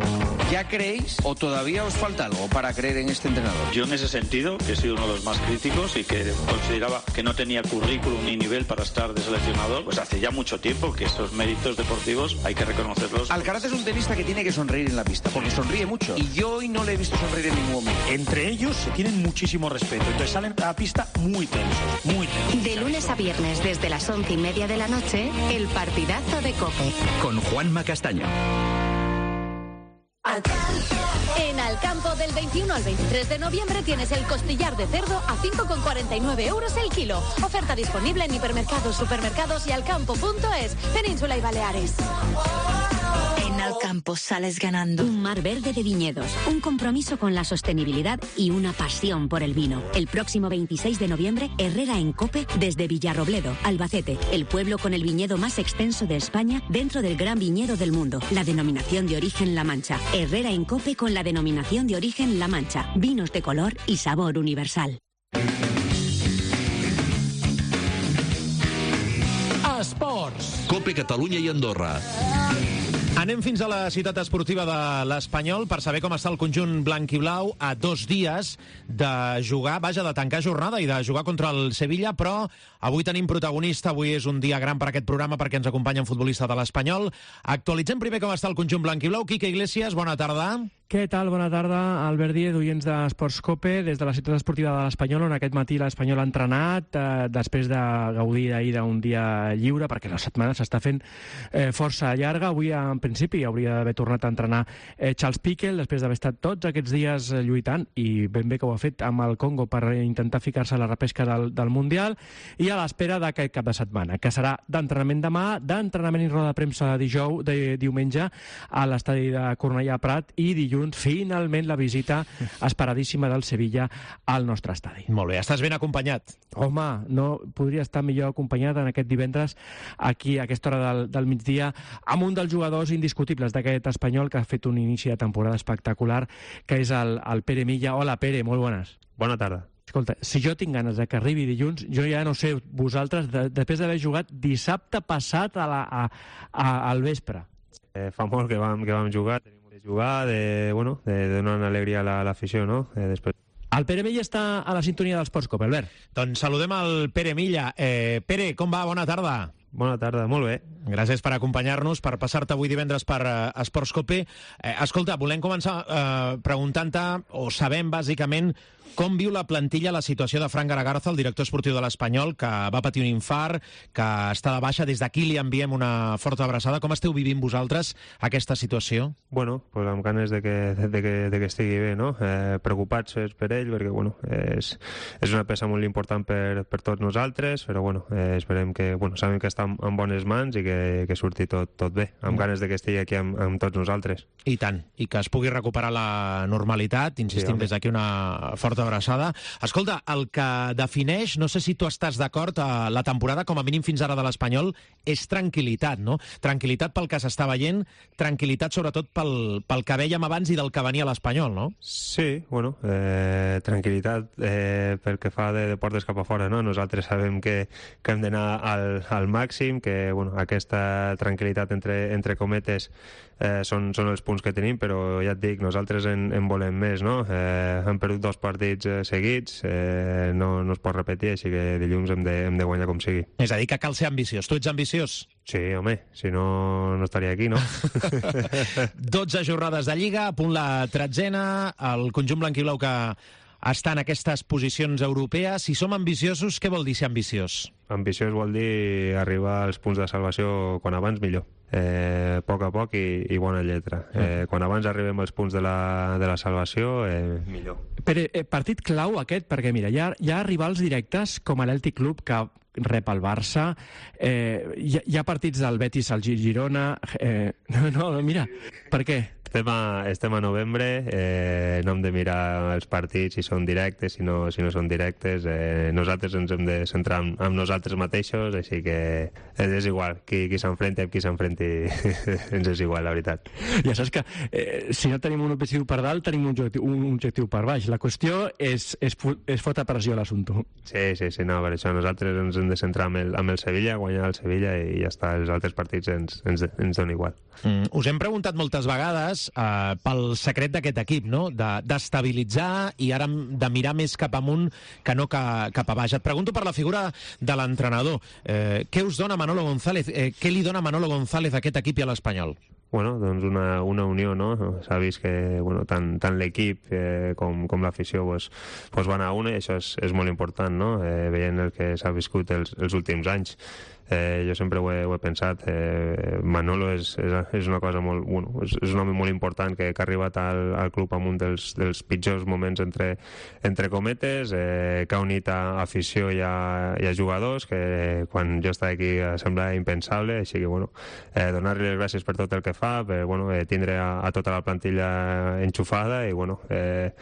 ¿Ya creéis o todavía os falta algo para creer en este entrenador?
Yo en ese sentido, que he sido uno de los más críticos y que consideraba que no tenía currículum ni nivel para estar de seleccionador, pues hace ya mucho tiempo que esos méritos deportivos hay que reconocerlos.
Alcaraz es un tenista que tiene que sonreír en la pista, porque sonríe mucho. Y yo hoy no le he visto sonreír en ningún momento.
Entre ellos se tienen muchísimo respeto, entonces salen a la pista muy tensos, muy tensos.
de lunes a viernes desde las once y media de la noche, el partidazo de COPE.
Con Juanma Castaño.
En Alcampo, del veintiuno al veintitrés de noviembre, tienes el costillar de cerdo a cinco con cuarenta y nueve euros el kilo. Oferta disponible en hipermercados, supermercados y alcampo punto es, Península y Baleares.
En Alcampo sales ganando. Un mar verde de viñedos, un compromiso con la sostenibilidad y una pasión por el vino. El próximo veintiséis de noviembre, Herrera en COPE desde Villarrobledo, Albacete, el pueblo con el viñedo más extenso de España dentro del gran viñedo del mundo, la denominación de origen La Mancha. Herrera en COPE con la denominación de origen La Mancha. Vinos de color y sabor universal.
Esports.
COPE Catalunya i Andorra.
Anem fins a la ciutat esportiva de l'Espanyol per saber com està el conjunt blanc i blau a dos dies de jugar, vaja, de tancar jornada i de jugar contra el Sevilla, però avui tenim protagonista, avui és un dia gran per aquest programa perquè ens acompanya un futbolista de l'Espanyol. Actualitzem primer com està el conjunt blanc i blau. Quique Iglesias, bona tarda.
Què tal? Bona tarda, Albert Díez, oients d'Esports Cope, des de la ciutat esportiva de l'Espanyol, on aquest matí l'Espanyol ha entrenat, eh, després de gaudir ahir d'un dia lliure, perquè la setmana s'està fent eh, força llarga. Avui, en principi, hauria d'haver tornat a entrenar eh, Charles Piquel, després d'haver estat tots aquests dies eh, lluitant, i ben bé que ho ha fet amb el Congo per intentar ficar-se a la repesca del, del Mundial, i a l'espera d'aquest cap de setmana, que serà d'entrenament demà, d'entrenament i roda de premsa dijous, de diumenge, a l'estadi de Cornellà Prat, i dilluns finalment la visita esperadíssima del Sevilla al nostre estadi.
Molt bé, estàs ben acompanyat.
Home, no podria estar millor acompanyat en aquest divendres aquí a aquesta hora del, del migdia amb un dels jugadors indiscutibles d'aquest Espanyol que ha fet un inici de temporada espectacular, que és el, el Pere Milla. Hola, Pere, molt bones.
Bona tarda.
Escolta, si jo tinc ganes de que arribi dilluns, jo ja no sé, vosaltres, de, després d'haver jugat dissabte passat a la, a, a, al vespre.
Eh, fa molt que vam, que vam jugar, tenim de jugar, de, bueno, de, de donar una alegria a l'afició, no? Eh, després...
El Pere Milla està a la sintonia dels Sports Cope, Albert.
Doncs saludem el Pere Milla. Eh, Pere, com va? Bona tarda.
Bona tarda, molt bé.
Gràcies per acompanyar-nos, per passar-te avui divendres per uh, Esports Cope. Eh, escolta, volem començar uh, preguntant-te, o sabem bàsicament, com viu la plantilla la situació de Fran Garagarza, el director esportiu de l'Espanyol, que va patir un infart, que està de baixa. Des d'aquí li enviem una forta abraçada. Com esteu vivint vosaltres aquesta situació?
Bueno, pues amb ganes de que, de que, de que estigui bé, no? Eh, preocupats per ell, perquè bueno, és, és una peça molt important per, per tots nosaltres, però bueno, eh, esperem que, bueno, sabem que està en, en bones mans i que, que surti tot, tot bé, amb mm. ganes de que estigui aquí amb, amb tots nosaltres.
I tant, i que es pugui recuperar la normalitat, insistim sí, des d'aquí una forta abraçada. Escolta, el que defineix, no sé si tu estàs d'acord, a la temporada, com a mínim fins ara de l'Espanyol, és tranquil·litat, no? Tranquil·litat pel que s'està veient, tranquil·litat sobretot pel, pel que vèiem abans i del que venia a l'Espanyol, no?
Sí, bueno, eh, tranquil·litat eh, pel que fa de, de portes cap a fora, no? Nosaltres sabem que, que hem d'anar al, al màxim, que bueno, aquesta tranquil·litat entre, entre cometes eh, són, són els punts que tenim, però ja et dic, nosaltres en, en volem més, no? Eh, hem perdut dos partits eh, seguits, eh, no, no es pot repetir, així que dilluns hem de, hem de guanyar com sigui.
És a dir, que cal ser ambiciós. Tu ets ambiciós?
Sí, home, si no, no estaria aquí, no?
dotze jornades de Lliga, a punt la tretzena, el conjunt blanquiblau que està en aquestes posicions europees. Si som ambiciosos, què vol dir ser ambiciós?
Ambiciós vol dir arribar als punts de salvació quan abans millor. Eh, a poc a poc i, i bona lletra. Eh, quan abans arribem als punts de la, de la salvació, eh, millor.
Però eh, partit clau aquest, perquè mira, hi ha, hi ha rivals directes com l'Eltic Club, que rep el Barça, eh, hi, hi ha partits del Betis al Girona, eh, no, no, mira, per què?
Estem a, estem a novembre, eh, no hem de mirar els partits si són directes, si no, si no són directes. Eh, nosaltres ens hem de centrar en, en nosaltres mateixos, així que és igual. Qui, qui s'enfrenti amb qui s'enfrenti ens és igual, la veritat.
Ja saps que eh, si no tenim un objectiu per dalt, tenim un objectiu, un objectiu per baix. La qüestió és, és, és fotre pressió a l'assumpte.
Sí, sí, sí, no, per això nosaltres ens hem de centrar amb el, amb el Sevilla, guanyar el Sevilla i ja està, els altres partits ens, ens, ens donen igual.
Mm, us hem preguntat moltes vegades eh, pel secret d'aquest equip, no? D'estabilitzar i ara de mirar més cap amunt que no ca, cap a baix. Et pregunto per la figura de l'entrenador. Eh, què us dona Manolo González? Eh, què li dona Manolo González a aquest equip i a l'Espanyol?
Bueno, doncs una, una unió, no? S'ha vist que bueno, tant, tant l'equip eh, com, com l'afició pues, pues van a una i això és, és molt important, no? Eh, veient el que s'ha viscut els, els últims anys. Eh, jo sempre ho he, ho he pensat, eh, Manolo és, és, és una cosa molt, bueno, és, és un home molt important que, que ha arribat al, al club amb un dels, dels pitjors moments entre, entre cometes, eh, que ha unit a afició i a, i a jugadors, que quan jo estava aquí semblava impensable, així que bueno, eh, donar-li les gràcies per tot el que fa, per bueno, eh, tindre a, a tota la plantilla enxufada i bueno, eh,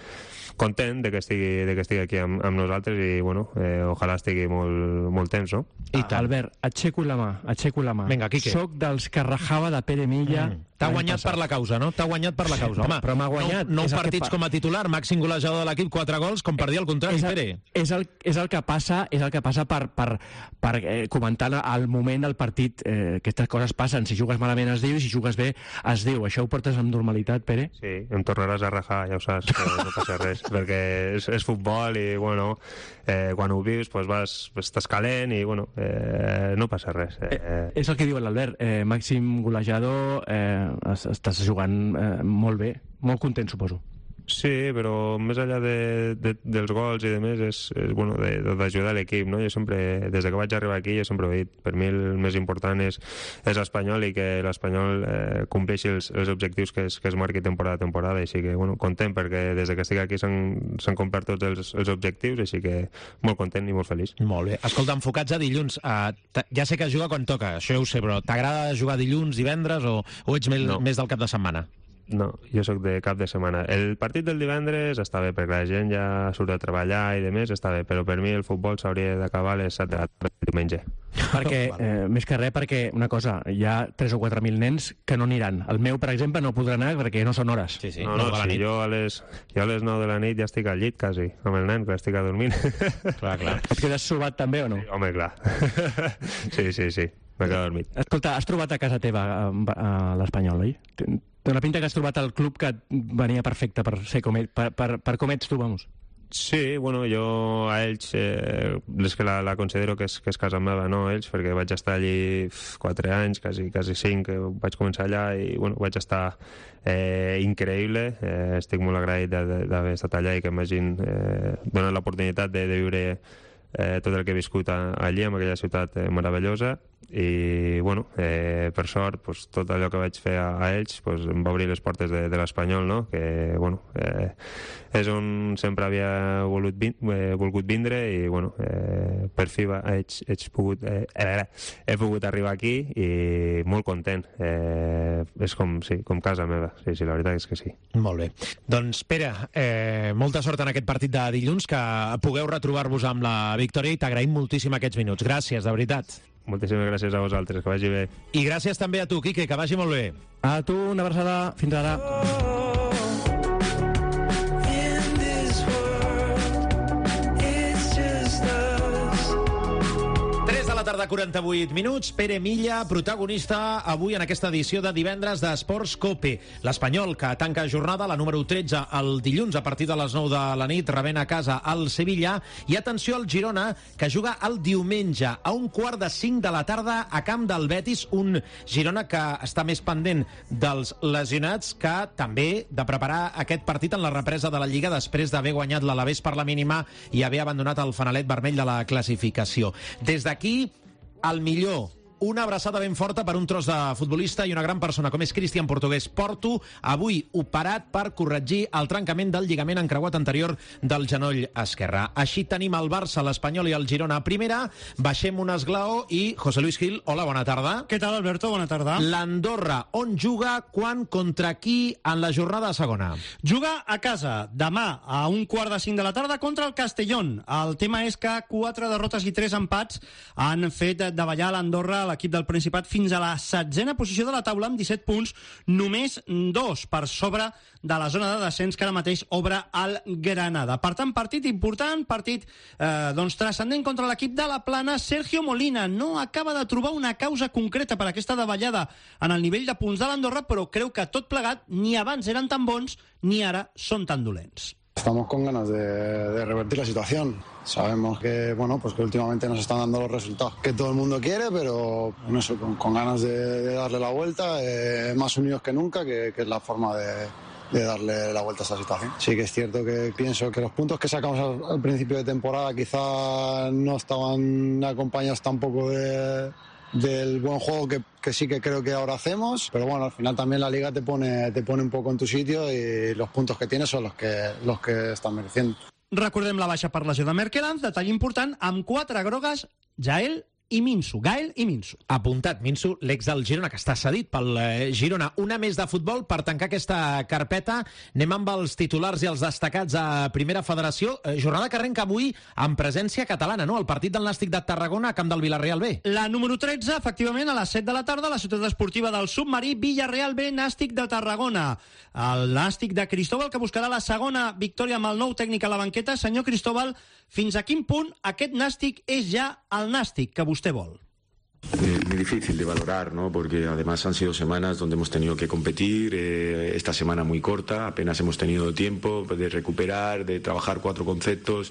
content de que estigui, de que estigui aquí amb, amb nosaltres i bueno, eh, ojalà estigui molt, molt temps, no?
I ah, Albert, aixeco la mà, aixeco la mà.
Vinga, Quique.
Soc dels que rajava de Pere Milla. Mm.
T'ha guanyat per la causa, no? T'ha guanyat per la causa. Home,
però m'ha guanyat.
Nou, nou partits
fa...
com a titular, màxim golejador de l'equip, quatre gols, com per dir el contrari,
és el,
Pere.
És el, és el que passa, és el que passa per, per, per eh, comentar al moment del partit. Eh, aquestes coses passen. Si jugues malament es diu i si jugues bé es diu. Això ho portes amb normalitat, Pere?
Sí, em tornaràs a rajar, ja ho saps, no passa res, perquè és, és futbol i, bueno, eh, quan ho vius, pues vas, estàs calent i, bueno, eh, no passa res. Eh,
eh, és el que diu l'Albert. Eh, màxim golejador, eh, estàs jugant eh, molt bé, molt content, suposo.
Sí, però més enllà de, de, dels gols i de més és, és bueno, d'ajudar l'equip, no? Jo sempre, des que vaig arribar aquí, jo sempre ho he dit, per mi el més important és, és l'Espanyol i que l'Espanyol eh, compleixi els, els objectius que es, que es marqui temporada a temporada, així que, bueno, content perquè des que estic aquí s'han complert tots els, els objectius, així que molt content i molt feliç.
Molt bé. Escolta, enfocats a dilluns, uh, ja sé que es juga quan toca, això ja ho sé, però t'agrada jugar dilluns, divendres o, o ets més, no. més del cap de setmana?
No, jo sóc de cap de setmana. El partit del divendres està bé, perquè la gent ja surt a treballar i de més, està bé, però per mi el futbol s'hauria d'acabar a les set de la tarda del diumenge.
Perquè, eh, més que res, perquè, una cosa, hi ha tres o quatre mil nens que no aniran. El meu, per exemple, no podrà anar perquè no són hores.
Sí, sí,
no, no, sí, jo, a les, jo a les nou de la nit ja estic al llit, quasi, amb el nen, que estic dormint.
Clar, clar.
Et quedes sobat també o no?
Sí, home, clar. Sí, sí, sí, m'he quedat dormit.
Escolta, has trobat a casa teva a, a l'Espanyol, oi? Té una pinta que has trobat el club que venia perfecte per ser com ell, per, per, per com ets tu, vamos.
Sí, bueno, jo a ells eh, és que la, la considero que és, que és casa meva, no, ells, perquè vaig estar allí quatre anys, quasi, quasi cinc, que vaig començar allà i, bueno, vaig estar eh, increïble, eh, estic molt agraït d'haver estat allà i que m'hagin eh, donat l'oportunitat de, de viure eh, tot el que he viscut a, allí, en aquella ciutat eh, meravellosa, i bueno, eh, per sort pues, tot allò que vaig fer a, a ells pues, em va obrir les portes de, de l'Espanyol, no? Que bueno, eh, és on sempre havia volut vin eh, volgut vindre i bueno, eh, per fi va, he, he, pogut, eh, eh, he pogut arribar aquí i molt content, eh, és com, sí, com casa meva, sí, sí, la veritat és que sí.
Molt bé, doncs Pere, eh, molta sort en aquest partit de dilluns, que pugueu retrobar-vos amb la victòria i t'agraïm moltíssim aquests minuts, gràcies, de veritat.
Moltíssimes gràcies a vosaltres, que vagi bé.
I gràcies també a tu, Quique, que vagi molt bé.
A tu, una abraçada. Fins ara.
Tarda, quaranta-vuit minuts. Pere Milla, protagonista avui en aquesta edició de divendres d'Esports Cope. L'Espanyol, que tanca jornada, la número tretze, el dilluns a partir de les nou de la nit, rebent a casa el Sevilla. I atenció al Girona, que juga el diumenge a un quart de cinc de la tarda a camp del Betis. Un Girona que està més pendent dels lesionats que també de preparar aquest partit en la represa de la Lliga després d'haver guanyat l'Alavés per la mínima i haver abandonat el fanalet vermell de la classificació. Des d'aquí, el millor una abraçada ben forta per un tros de futbolista i una gran persona com és Cristian Portugués Porto, avui operat per corregir el trencament del lligament encreuat anterior del genoll esquerre. Així tenim el Barça, l'Espanyol i el Girona a primera. Baixem un esglaó i José Luis Gil, hola, bona tarda.
Què tal, Alberto? Bona tarda.
L'Andorra, on juga, quan, contra qui en la jornada segona?
Juga a casa, demà, a un quart de cinc de la tarda, contra el Castellón. El tema és que quatre derrotes i tres empats han fet davallar l'Andorra, l'equip del Principat, fins a la setzena posició de la taula amb disset punts, només dos per sobre de la zona de descens que ara mateix obre el Granada. Per tant, partit important, partit eh, doncs transcendent contra l'equip de la Plana. Sergio Molina no acaba de trobar una causa concreta per aquesta davallada en el nivell de punts de l'Andorra, però creu que tot plegat ni abans eren tan bons ni ara són tan dolents.
Estamos con ganas de, de revertir la situación. Sabemos que, bueno, pues que últimamente nos están dando los resultados que todo el mundo quiere, pero bueno, eso, con, con ganas de, de darle la vuelta, eh, más unidos que nunca, que, que es la forma de, de darle la vuelta a esta situación. Sí que es cierto que pienso que los puntos que sacamos al, al principio de temporada quizá no estaban acompañados tampoco de... del buen juego que, que sí que creo que ahora hacemos, pero bueno, al final también la Liga te pone, te pone un poco en tu sitio y los puntos que tienes son los que, los que están mereciendo.
Recordem la baixa per lesió de Merkeland, detall important, amb quatre grogues, Jael i Minsu, Gael i Minsu.
Apuntat, Minsu, l'ex del Girona, que està cedit pel eh, Girona. Una més de futbol per tancar aquesta carpeta. Anem amb els titulars i els destacats a Primera Federació. Eh, jornada que arrenca avui amb presència catalana, no? El partit del Nàstic de Tarragona a camp del Villarreal B.
La número tretze, efectivament, a les set de la tarda, a la ciutat esportiva del Submarí, Villarreal B, Nàstic de Tarragona. El Nàstic de Cristóbal, que buscarà la segona victòria amb el nou tècnic a la banqueta. Senyor Cristóbal, fins a quin punt aquest Nàstic és ja el Nàstic que vostè vol?
Eh, muy difícil de valorar, ¿no? Porque además han sido semanas donde hemos tenido que competir, eh, esta semana muy corta, apenas hemos tenido tiempo de recuperar, de trabajar cuatro conceptos,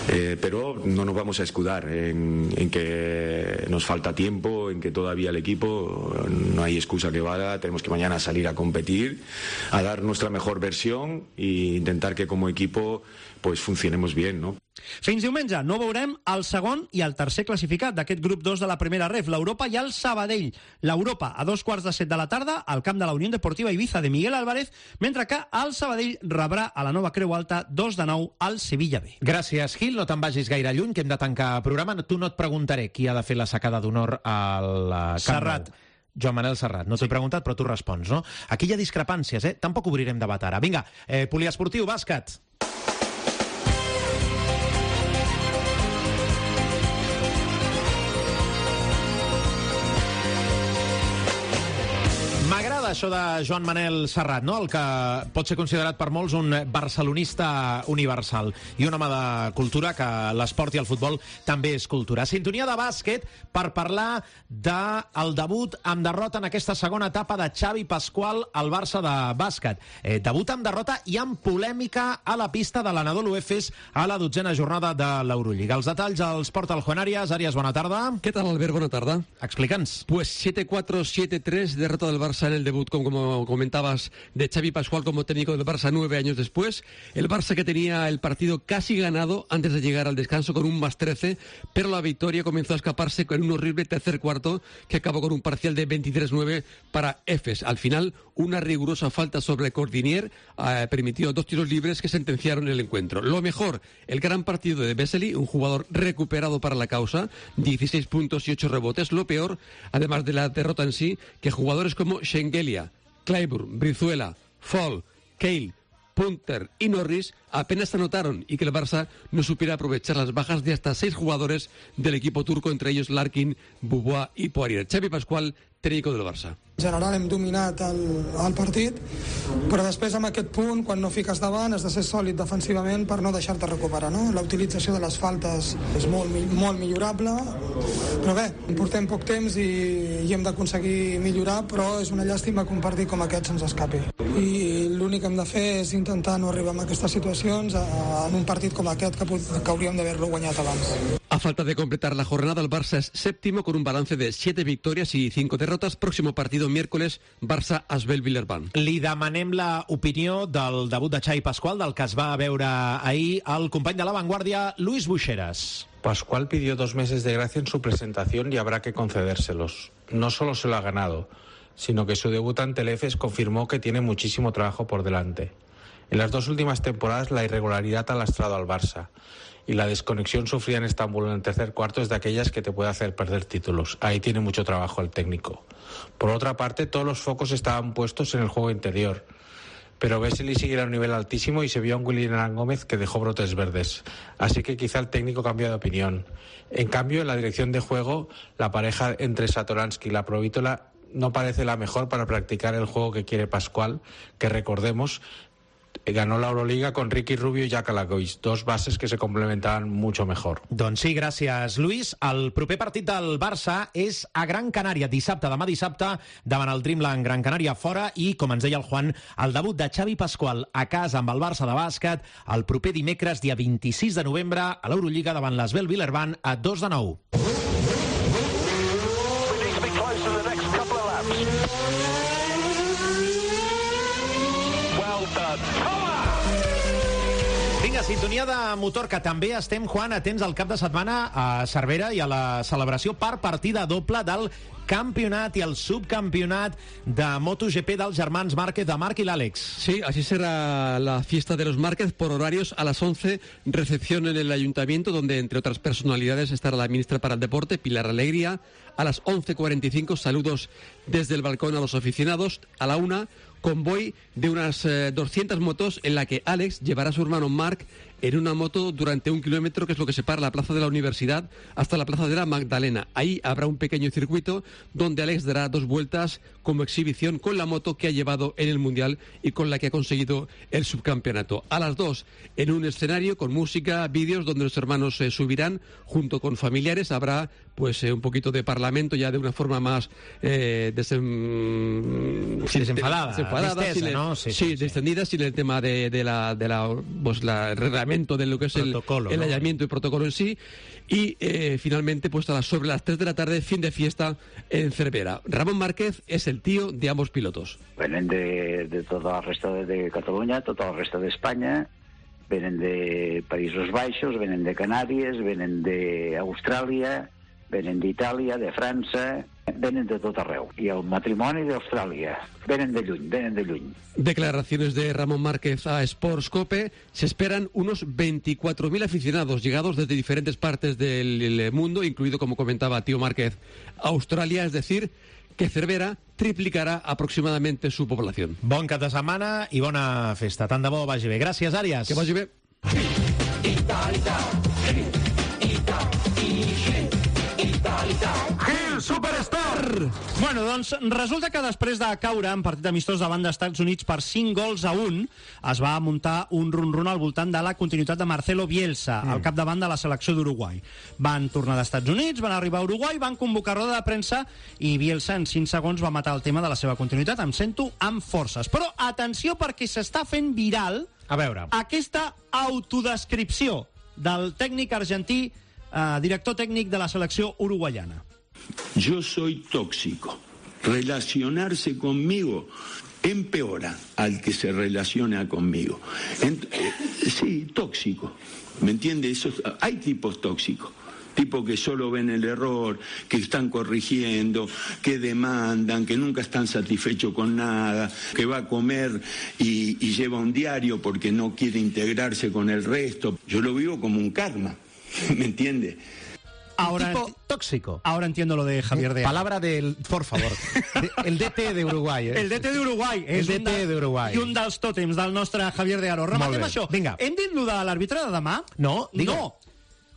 eh, pero no nos vamos a escudar en, en que nos falta tiempo, en que todavía el equipo no hay excusa que valga, tenemos que mañana salir a competir, a dar nuestra mejor versión e intentar que como equipo pues funcionemos bien, ¿no?
Fins diumenge no veurem el segon i el tercer classificat d'aquest grup dos de la primera ref, l'Europa i el Sabadell. L'Europa a dos quarts de set de la tarda al camp de la Unió Deportiva Ibiza de Miguel Álvarez, mentre que el Sabadell rebrà a la nova Creu Alta dos de nou al Sevilla B.
Gràcies, Gil. No te'n vagis gaire lluny, que hem de tancar programa. Tu no et preguntaré qui ha de fer la sacada d'honor al Camp
Serrat.
Nou. Joan Manel Serrat. No t'ho he preguntat, però tu respons, no? Aquí hi ha discrepàncies, eh? Tampoc obrirem debat ara. Vinga, eh, poliesportiu, bàsquet. M'agrada això de Joan Manel Serrat, no? El que pot ser considerat per molts un barcelonista universal i un home de cultura, que l'esport i el futbol també és cultura. Sintonia de bàsquet per parlar del debut amb derrota en aquesta segona etapa de Xavi Pascual al Barça de bàsquet. Eh, debut amb derrota i amb polèmica a la pista de l'Anadolu Efes a la dotzena jornada de l'Eurolliga. Els detalls els porta el Juan Arias. Arias, bona tarda.
¿Qué tal, Albert? Buena tarde.
Explica'ns.
Pues siete cuatro, siete tres, derrota del Barça en el debut, como, como comentabas, de Xavi Pascual como técnico del Barça nueve años después. El Barça que tenía el partido casi ganado antes de llegar al descanso con un más trece, pero la victoria comenzó a escaparse con un horrible tercer cuarto que acabó con un parcial de veintitrés nueve para Efes. Al final, una rigurosa falta sobre Cordinier eh, permitió dos tiros libres que sentenciaron el encuentro. Lo mejor, el gran partido de Vesely, un jugador recuperado para la causa, dieciséis puntos y ocho rebotes. Lo peor, además de la derrota en sí, que jugadores como Schengelia, Clyburn, Brizuela, Fall, Cale, Punter y Norris apenas se anotaron y que el Barça no supiera aprovechar las bajas de hasta seis jugadores del equipo turco, entre ellos Larkin, Beaubois y Poirier. Xavi Pascual, técnico del Barça.
En general hem dominat el, el partit, però després amb aquest punt, quan no fiques davant, has de ser sòlid defensivament per no deixar-te recuperar, no? La utilització de les faltes és molt, molt millorable, però bé, portem poc temps i, i hem d'aconseguir millorar, però és una llàstima que un partit com aquest se'ns escapi. I l'únic que hem de fer és intentar no arribar a aquestes situacions en un partit com aquest que, que hauríem d'haver-lo guanyat abans.
A falta de completar la jornada, el Barça es séptimo con un balance de siete victorias y cinco derrotas. Próximo partido miércoles, Barça-Asbel-Villeurbanne.
Li demanem l'opinió del debut de Xavi Pascual, del que es va veure ahir el company de La Vanguardia, Luis Buixeras.
Pascual pidió dos meses de gracia en su presentación y habrá que concedérselos. No solo se lo ha ganado, sino que su debut ante el Efes confirmó que tiene muchísimo trabajo por delante. En las dos últimas temporadas la irregularidad ha lastrado al Barça y la desconexión sufrida en Estambul en el tercer cuarto es de aquellas que te puede hacer perder títulos. Ahí tiene mucho trabajo el técnico. Por otra parte, todos los focos estaban puestos en el juego interior, pero Vesely sigue a un nivel altísimo y se vio a un William Gómez que dejó brotes verdes. Así que quizá el técnico cambió de opinión. En cambio, en la dirección de juego, la pareja entre Satoransky y la Provítola no parece la mejor para practicar el juego que quiere Pascual, que recordemos, ganó la Euroliga con Ricky Rubio i Jack Alagois, dos bases que se complementaven mucho mejor.
Doncs sí, gràcies, Luis. El proper partit del Barça és a Gran Canària, dissabte, demà dissabte, davant el Dreamland Gran Canària fora, i, com ens deia el Juan, el debut de Xavi Pascual a casa amb el Barça de bàsquet el proper dimecres, dia vint-i-sis de novembre, a l'Eurolliga davant l'Asvel Villeurbanne a dos de nou. Vinga, sintonia de motor, que també estem, Juan, atents al cap de setmana a Cervera i a la celebració per partida doble del campionat y al subcampionat de MotoGP dels germans Márquez, de Marc y l'Àlex.
Sí, así será la fiesta de los Márquez por horarios. A las once, recepción en el ayuntamiento, donde entre otras personalidades estará la ministra para el deporte, Pilar Alegría. A las once cuarenta y cinco, saludos desde el balcón a los aficionados. A la una, convoy de unas eh, doscientas motos en la que Alex llevará a su hermano Marc en una moto durante un kilómetro, que es lo que separa la plaza de la Universidad hasta la plaza de la Magdalena. Ahí habrá un pequeño circuito donde Alex dará dos vueltas como exhibición con la moto que ha llevado en el Mundial y con la que ha conseguido el subcampeonato. A las dos, en un escenario con música, vídeos, donde los hermanos se eh, subirán junto con familiares. Habrá pues eh, un poquito de parlamento ya de una forma más eh, desem...
sí, desenfadada,
desenfadada
distesa,
sin el,
¿no? Sí,
sí,
sí,
descendida, sin el tema de, de la, de la, pues, la el reglamento de lo que es protocolo, el, el ¿no? hallamiento y protocolo en sí. Y eh, finalmente, pues a las, sobre las tres de la tarde, fin de fiesta en Cervera. Ramón Márquez es el tío de ambos pilotos.
Venen de, de tota la resta de, de Catalunya, tota la resta d'Espanya, venen de Països Baixos, venen de Canàries, venen d'Austràlia, venen d'Itàlia, de França, venen de tot arreu. I el matrimoni d'Austràlia, venen de lluny, venen de lluny.
Declaraciones de Ramón Márquez a Sportscope. Se esperan unos veinticuatro mil aficionados llegados desde diferentes partes del mundo, incluido, como comentaba Tío Márquez, Australia, es decir, que Cervera triplicarà aproximadamente su población.
Bon cap de setmana i bona festa. Tant de bo vagi bé. Gràcies, Àries.
Que vagi bé.
Gil Superstar! Bueno, doncs resulta que després de caure en partit amistós davant dels Estats Units per cinc gols a un, es va muntar un run-run al voltant de la continuïtat de Marcelo Bielsa, mm. al capdavant de la selecció d'Uruguai. Van tornar dels Estats Units, van arribar a Uruguai, van convocar roda de premsa i Bielsa en cinc segons va matar el tema de la seva continuïtat. Em sento amb forces. Però atenció, perquè s'està fent viral
a veure
aquesta autodescripció del tècnic argentí, Uh, director técnico de la selección uruguayana.
Yo soy tóxico. Relacionarse conmigo empeora al que se relaciona conmigo. Ent eh, sí, tóxico. ¿Me entiende? Eso, hay tipos tóxicos. Tipos que solo ven el error, que están corrigiendo, que demandan, que nunca están satisfechos con nada, que va a comer y, y lleva un diario porque no quiere integrarse con el resto. Yo lo vivo como un karma. ¿Me entiende?
Ahora,
tipo tóxico.
Ahora entiendo lo de Javier de...
Palabra del... Por favor. De, el D T de Uruguai. Eh?
El D T de Uruguai.
El D T de Uruguai.
I un dels tòtems del nostre Javier de Aro. Rematem això.
Vinga.
Hem dit lo de l'àrbitre de demà?
No, digue.
No.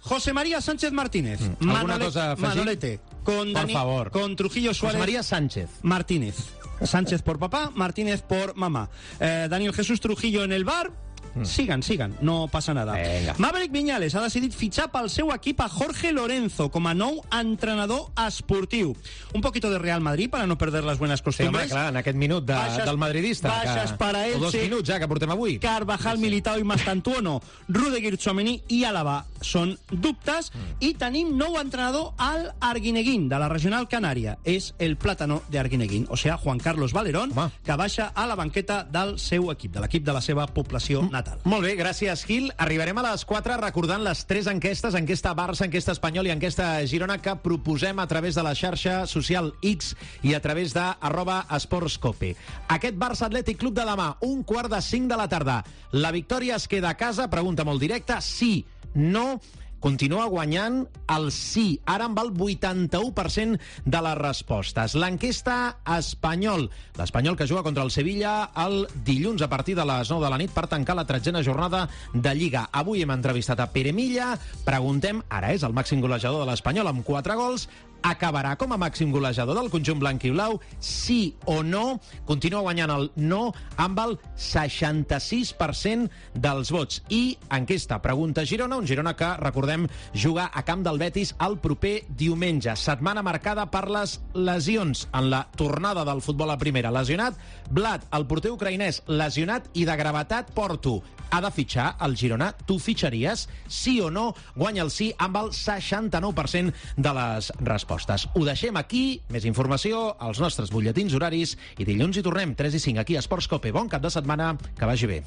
José María Sánchez Martínez.
Mm. ¿Alguna
Manole...
cosa a afegir?
Manolete. Con
por
Dani...
favor.
Con Trujillo Suárez.
José María Sánchez.
Martínez. Sánchez por papá, Martínez por mamá. Eh, Daniel Jesús Trujillo en el bar. Mm. Sigan, sigan, no passa nada.
Venga.
Maverick Viñales ha decidit fitxar pel seu equip a Jorge Lorenzo com a nou entrenador esportiu. Un poquito de Real Madrid para no perder las buenas costumbres.
Sí, home, clar, en aquest minut de, baixes, del madridista.
Baixes
que,
para Elche.
O dos minuts ja que portem avui.
Carvajal, sí, sí. Militao i Mastantuono. Rudiger, Tchouaméni i Álava són dubtes. Mm. I tenim nou entrenador al Arguineguín, de la Regional Canària. És el plàtano de Arguineguín, o sea, Juan Carlos Valerón, home, que baixa a la banqueta del seu equip, de l'equip de la seva població mm. Natal.
Molt bé, gràcies, Gil. Arribarem a les quatre recordant les tres enquestes, enquesta Barça, enquesta Espanyol i enquesta Girona, que proposem a través de la xarxa social X i a través de arroba esportscope. Aquest Barça Atlètic Club de demà, un quart de cinc de la tarda. La victòria es queda a casa? Pregunta molt directa. Sí, no... Continua guanyant el sí. Ara amb el vuitanta-u per cent de les respostes. L'enquesta Espanyol. L'Espanyol que juga contra el Sevilla el dilluns a partir de les nou de la nit per tancar la tretzena jornada de Lliga. Avui hem entrevistat a Pere Milla. Preguntem, ara és el màxim golejador de l'Espanyol amb quatre gols. Acabarà com a màxim golejador del conjunt blanc i blau? Sí o no? Continua guanyant el no amb el seixanta-sis per cent dels vots. I enquesta pregunta Girona, un Girona que, recordem, juga a camp del Betis el proper diumenge. Setmana marcada per les lesions en la tornada del futbol a primera. Lesionat Vlad, el porter ucraïnès, lesionat i de gravetat Porto. Ha de fitxar el Girona? Tu fitxaries? Sí o no? Guanya el sí amb el seixanta-nou per cent de les respostes. Ho deixem aquí. Més informació als nostres butlletins horaris i dilluns hi tornem, tres i cinc, aquí a Esports Cope. Bon cap de setmana, que vagi bé.